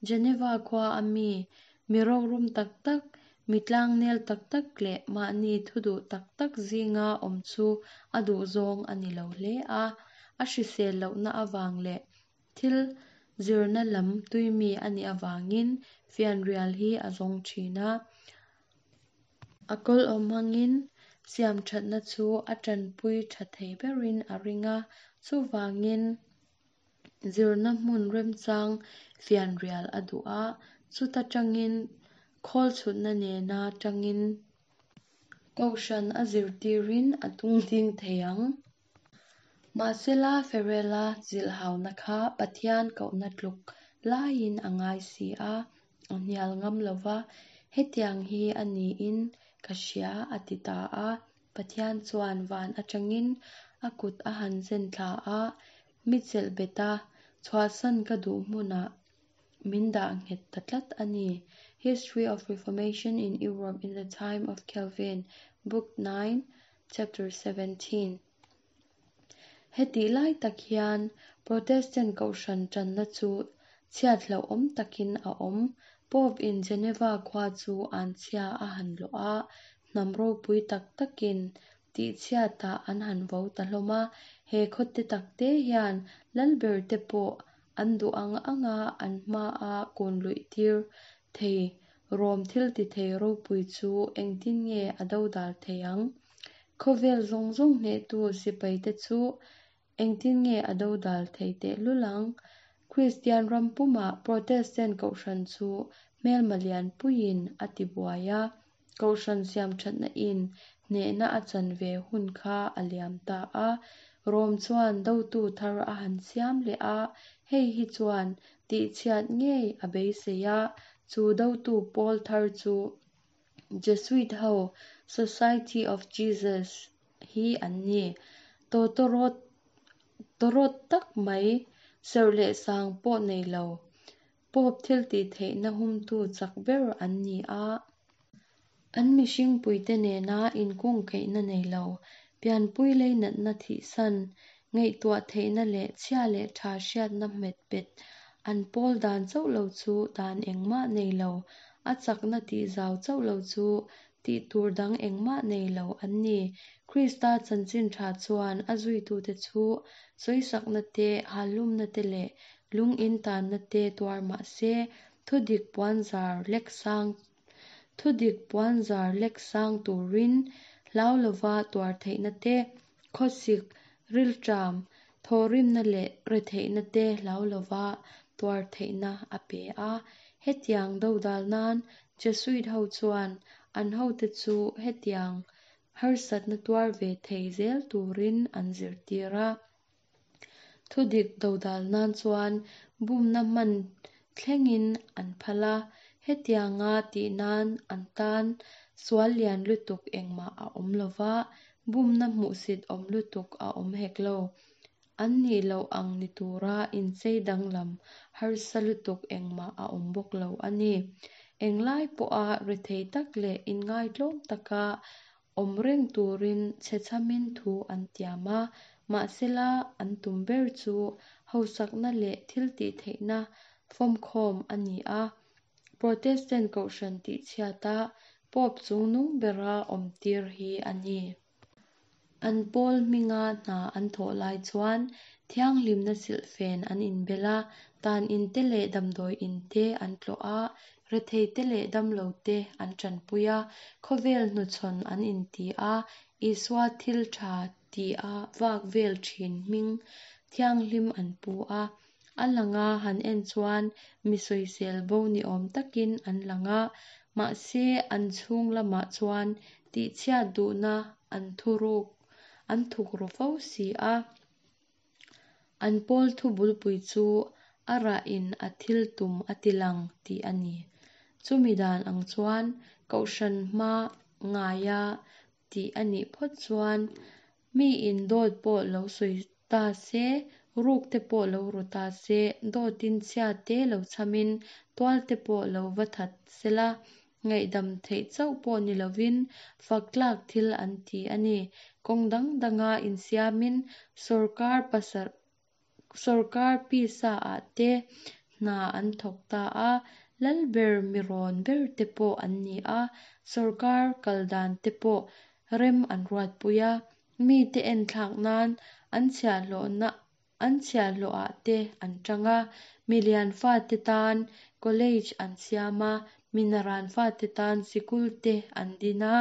Geneva khua a mi, mi rorum tak tak, Mi tlangnel tak tak leh mahni thu duh tak tak zinga awm chu a duhzawng a ni lo hle a, a hrisel lohna avang leh thil zirna lam tuimi a nih avangin fianrial hi a zawng thin a. A kawl awm hmangin siamthatna chu a tanpui tha thei berin a ring a, chuvangin Zirna hmun remchang fianrial a duh a, chuta tangin khawl chhutna nena tangin kohhran a zirtirin a tungding thei ang. Mahsela Ferela zilhhauna kha Pathian kohna tluk laiin a ngai si a, a hnial ngam lo va, hetiang hi a niin ka hria a ti ta a. Pathian chuan van atangin a kut a han zen thla a, Mi chelh bet a, chhuahsan ka duh hmunah min dah nghet ta tlat a ni. History of Reformation in Europe in the Time of Calvin, Book 9, Chapter 17. Hetih lai tak hian Protestant kohhran tanna chu chhiat hlauhawm takin a awm. Pope in Geneva khua chu anchhia a han lawh a, hnam ropui tak takin Tihchhiatah an han vo ta hlawm a, he khawte takte hian lalberte pawh an duh ang anga an hmaa kun luih tir thei rawm thil ti thei ropui chu engtin nge a dodal thei ang? Khawvel zawng zawng hnehtu sipaite chu Engtin nge a dodal thei tehlul ang? Kristian ram pumah Protestant kohhran chu hmelma lianpuiin a tibuai a, kohhran siamthatna in hnehna a chan ve hun kha a liam ta a. Rom chuan dotu thar a han siam leh a, hei hi chuan tihchhiat ngei a beisei a, chu dotu pawl thar chu Jesuit ho Society of Jesus hi an ni. Tawtawrawt tawrawt tak mai, serh leh sang pawh nei lo, Pope thiltihtheihna humtu chak ber an ni a. An mihringpuite nena inkungkaihna nei lo, pianpui leinatna thihsan, ngaihtuah theihna leh chhia leh tha hriatna hmet bet An pawl dan chauh lo chu dan engmah nei lo, a chakna tihzau chauh lo chu tih tur dang engmah nei lo an ni. Krista chanchin tha chuan a zuitute chu sawisakna te, halhlumna te leh lung intanna te tuar mah se, thudik puanzar lek sang thudik puanzar lek sang turin hlau lova tuar theihna te, khawsik, rilṭam, thawhrimna leh retheihna te hlau lova tuar theihna a pe a. Hetiang dodal nan Jesuit ho chuan an hote chu hetiang harsatna tuar ve thei zel turin an zirtir a. Thudik dodal nan chuan bumna hman thlengin an phal a, hetianga tih nan an tan sual lian lutuk engmah a awm lo va, bumna hmuhsit awm lutuk a awm hek lo. An nih loh ang ni tura inchei danglam harsa lutuk engmah a awm bawk lo a ni. Englai pawha rethei tak leh inngaitlawm taka awm reng turin chhechhamin thu an tiam a, mahsela an tum ber chu hausakna leh thiltihtheihna fawmkhawm a ni a. Protestant kohhran tihchhiata Pope chungnung bera awmtir hi a ni. An pawl hminga hna an thawh lai chuan thianghlimna silhfen an inbel a, tan in te leh damdawi in te an tlawh a, rethei te leh damlo te an tanpui a, khawvel hnuchhawn an inti a, Isua thil tha tia vak vel thin hming thianghlim an pu a. A langa han en chuan mi sawisel bo ni awm takin an lang a, mahse an chhung lamah chuan tihchhiat duhna an thuruk an thukru fo si a. An pawl thu bulpui chu a rahin a thil tum a ti lang tih a ni. Chumi dan ang chuan kohhran hma ngaia tih a nih phawt chuan miin dawt pawh lo sawi ta se, ruk te pawh lo ru ta se, dawtin chhia te lo chhamin tual te pawh lo va that sela, ngaihdam theih chauh pawh ni lovin fak tlak thil an ti a ni. Kawng dang danga insiamin sawrkar pasarh Sawrkar pisa ah te hna an thawk ta a, lal ber mi rawn ber te pawh an ni a, sawrkar kal dan te pawh rem an ruatpui a, mite enthlak nan an chhiahhlawhna an chhiahhlawh ah te an tang a, milian fate tan college an siam a, minaran fate tan sikul te an din a,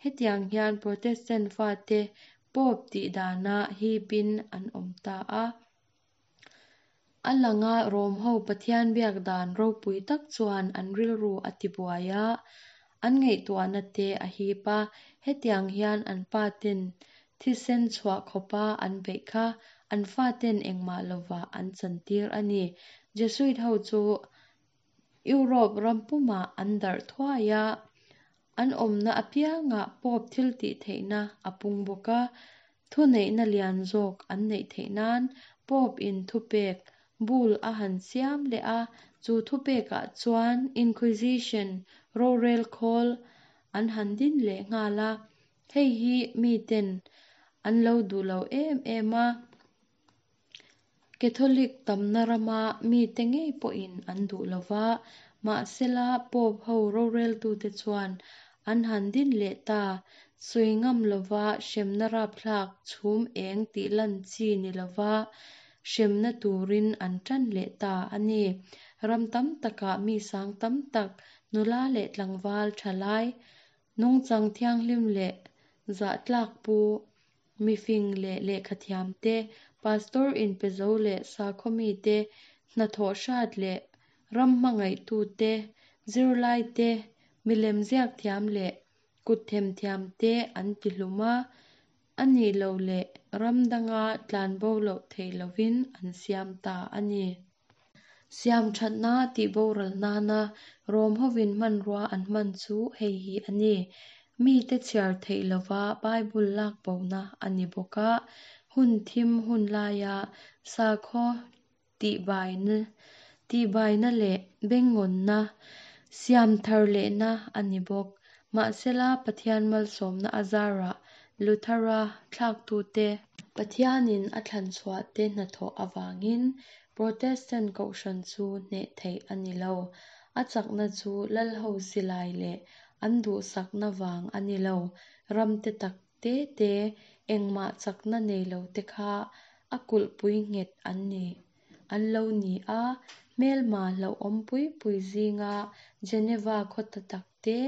hetiang hian Protestant fate Pope tih dana hipin an awm ta a. A langa Rom ho Pathian biak dan ropui tak chuan an rilru a tibuai a, an ngaihtuahna te a hip a, hetiang hian an pa ten thisen chhuah khawpa an beih kha an faten engmah lovah an chantir a ni. Jesuit ho chu Europe ram pumah an darh thuai a, an awmna apiangah Pope thiltihtheihna a pung bawk a, thuneihna lian zawk an neih theih nan Pope in thupek, bull, a han siam leh a, chu thupekah chuan Inquisition, rorel khawl, an han din leh nghal a, hei hi miten an lo duh lo em em a. Catholic tamna rama mite ngei pawhin an duh lo va, mahsela Pope ho roreltute chuan an han din leh ta. Sawi ngam lova hremna rapthlak chhum eng tih lan chi ni lova hremna turin an tan leh ta a ni. Ram tam takah mi sang tam tak, nula leh tlangval thalai, nungchang thianghlim leh zahtlak pu, Mifing leh lehkhathiam te, pastor inpezo leh sakhaw mite, hnathawh hrat leh ram hmangaihtu te, zirlai te, milem ziak thiam leh kut themthiam te an ti hlum a, a nih loh leh ram danga tlanbo loh theih lovin an siam ta a ni. Siamthatna tih boral nana Rom hovin hmanrua an hman chu hei hi a ni. Mite chhiar theih lova Bible lak bona a ni bawk a, hun thim hun laia sakhaw tihbaina tihbaina leh bengngawnna siam thar lehna a ni bawk. Mahsela Pathian malsawmna a zarah Luthera thlaktute, Pathianin a thlanchhuahte hnathawh avangin. Protestant kohhran chu hneh theih a ni lo. A chakna chu lalho silai leh an duhsakna vang a ni lo. Ram te tak te te, engmah chakna nei lo te kha a kulhpui nghet an ni an lo ni a. Hmelma hlauhawm pui pui zinga Geneva khaw ta tak te,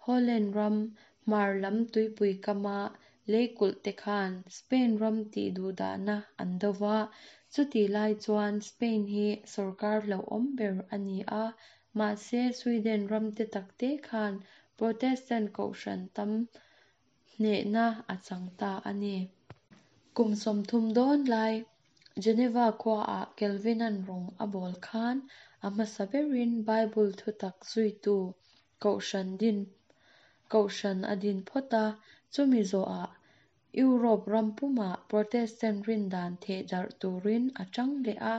Holland ram hmar lam tuipui kama leikulh te khan Spain ram tihduhdahna an do va. Chutih lai chuan Spain hi sawrkar hlauhawm ber a ni a, mahse Sweden ram te tak te khan Protestant kohhran tam hnehna a chang ta a ni. Kum 30 dawn lai Geneva khuaah Calvin-a'n rawng a bawl khan a hmasa berin Bible thutak zuitu kohhran din kohhran a din phawt a, chumi zawhah Europe ram pumah Protestant rindan thehdarh turin a tang leh a.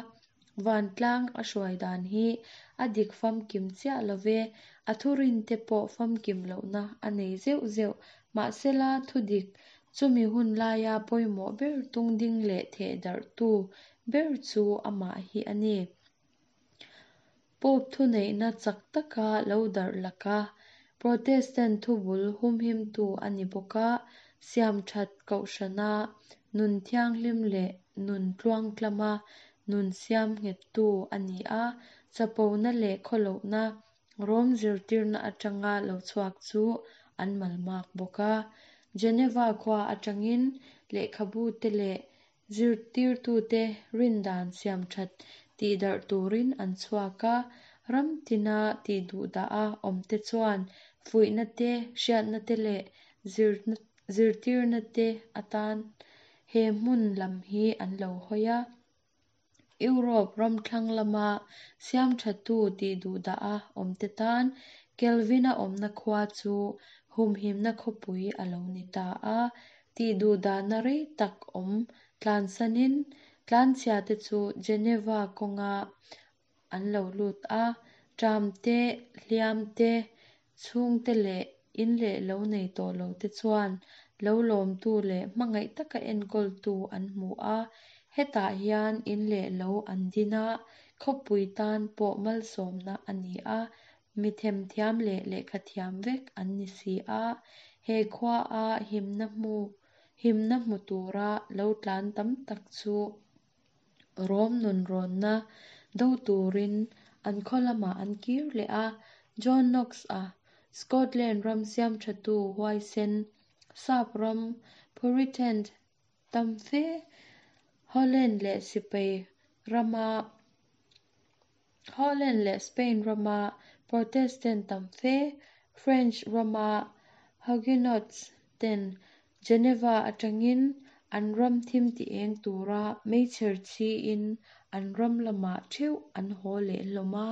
Vantlang a hruai dan hi a dik famkim chiah lo ve, a thurinte pawh famkim lohna a nei zeuh zeuh. Mahsela, thudik chumi hun laia pawimawh ber tungding leh thehdarhtu ber chu amah hi a ni. Pope thuneihna chak taka lo darh laka Protestant thubul humhimtu a ni bawk a, siamthat kohhrana nun thianghlim leh nun tluangtlama nun siam nghettu a ni a, chapona leh khawlohna Rom zirtirna atanga lo chhuak chu an malmak bawk a. Geneva khua atangin lehkhabute leh zirtirtute rindan siamthat tihdarh turin an chhuak a, ram tina tihduhdaha awmte chuan fuihna te, hriatna te leh zirtirna te atan he hmun lam hi an lo hawi a. Europe ram thlang lama siamthatu tihduhdaha awmte tan Calvin-a awmna khua chu humhimna khawpui a lo ni ta a. Tihduhdahna rei tak awm tlansanin tlanchhiate chu Geneva kawnga an lo lut a, ṭam te, hliam te, chhungte leh in leh lo nei tawh lo te chuan lo lawmtu leh hmangaih taka enkawltu an hmu a. Hetah hian in leh lo an din a, khawpui tan pawh malsawmna a ni a, mi themthiam leh lehkhathiam vek an ni si a. He khuaa himna hmu himna hmu tura lo tlan tam tak chu Rom nunrawnna do turin an khaw lamah an kir leh a. John Knox-a, Scotland ram siamthatu huaisen, sap ram Puritan tam fe, Holland leh Sipai rama Holland leh Spain rama Protestant tam fe, French rama Huguenots ten Geneva atangin an ram thim ti eng tura meichher chhiin an ram lamah theuh an haw leh hlawm a.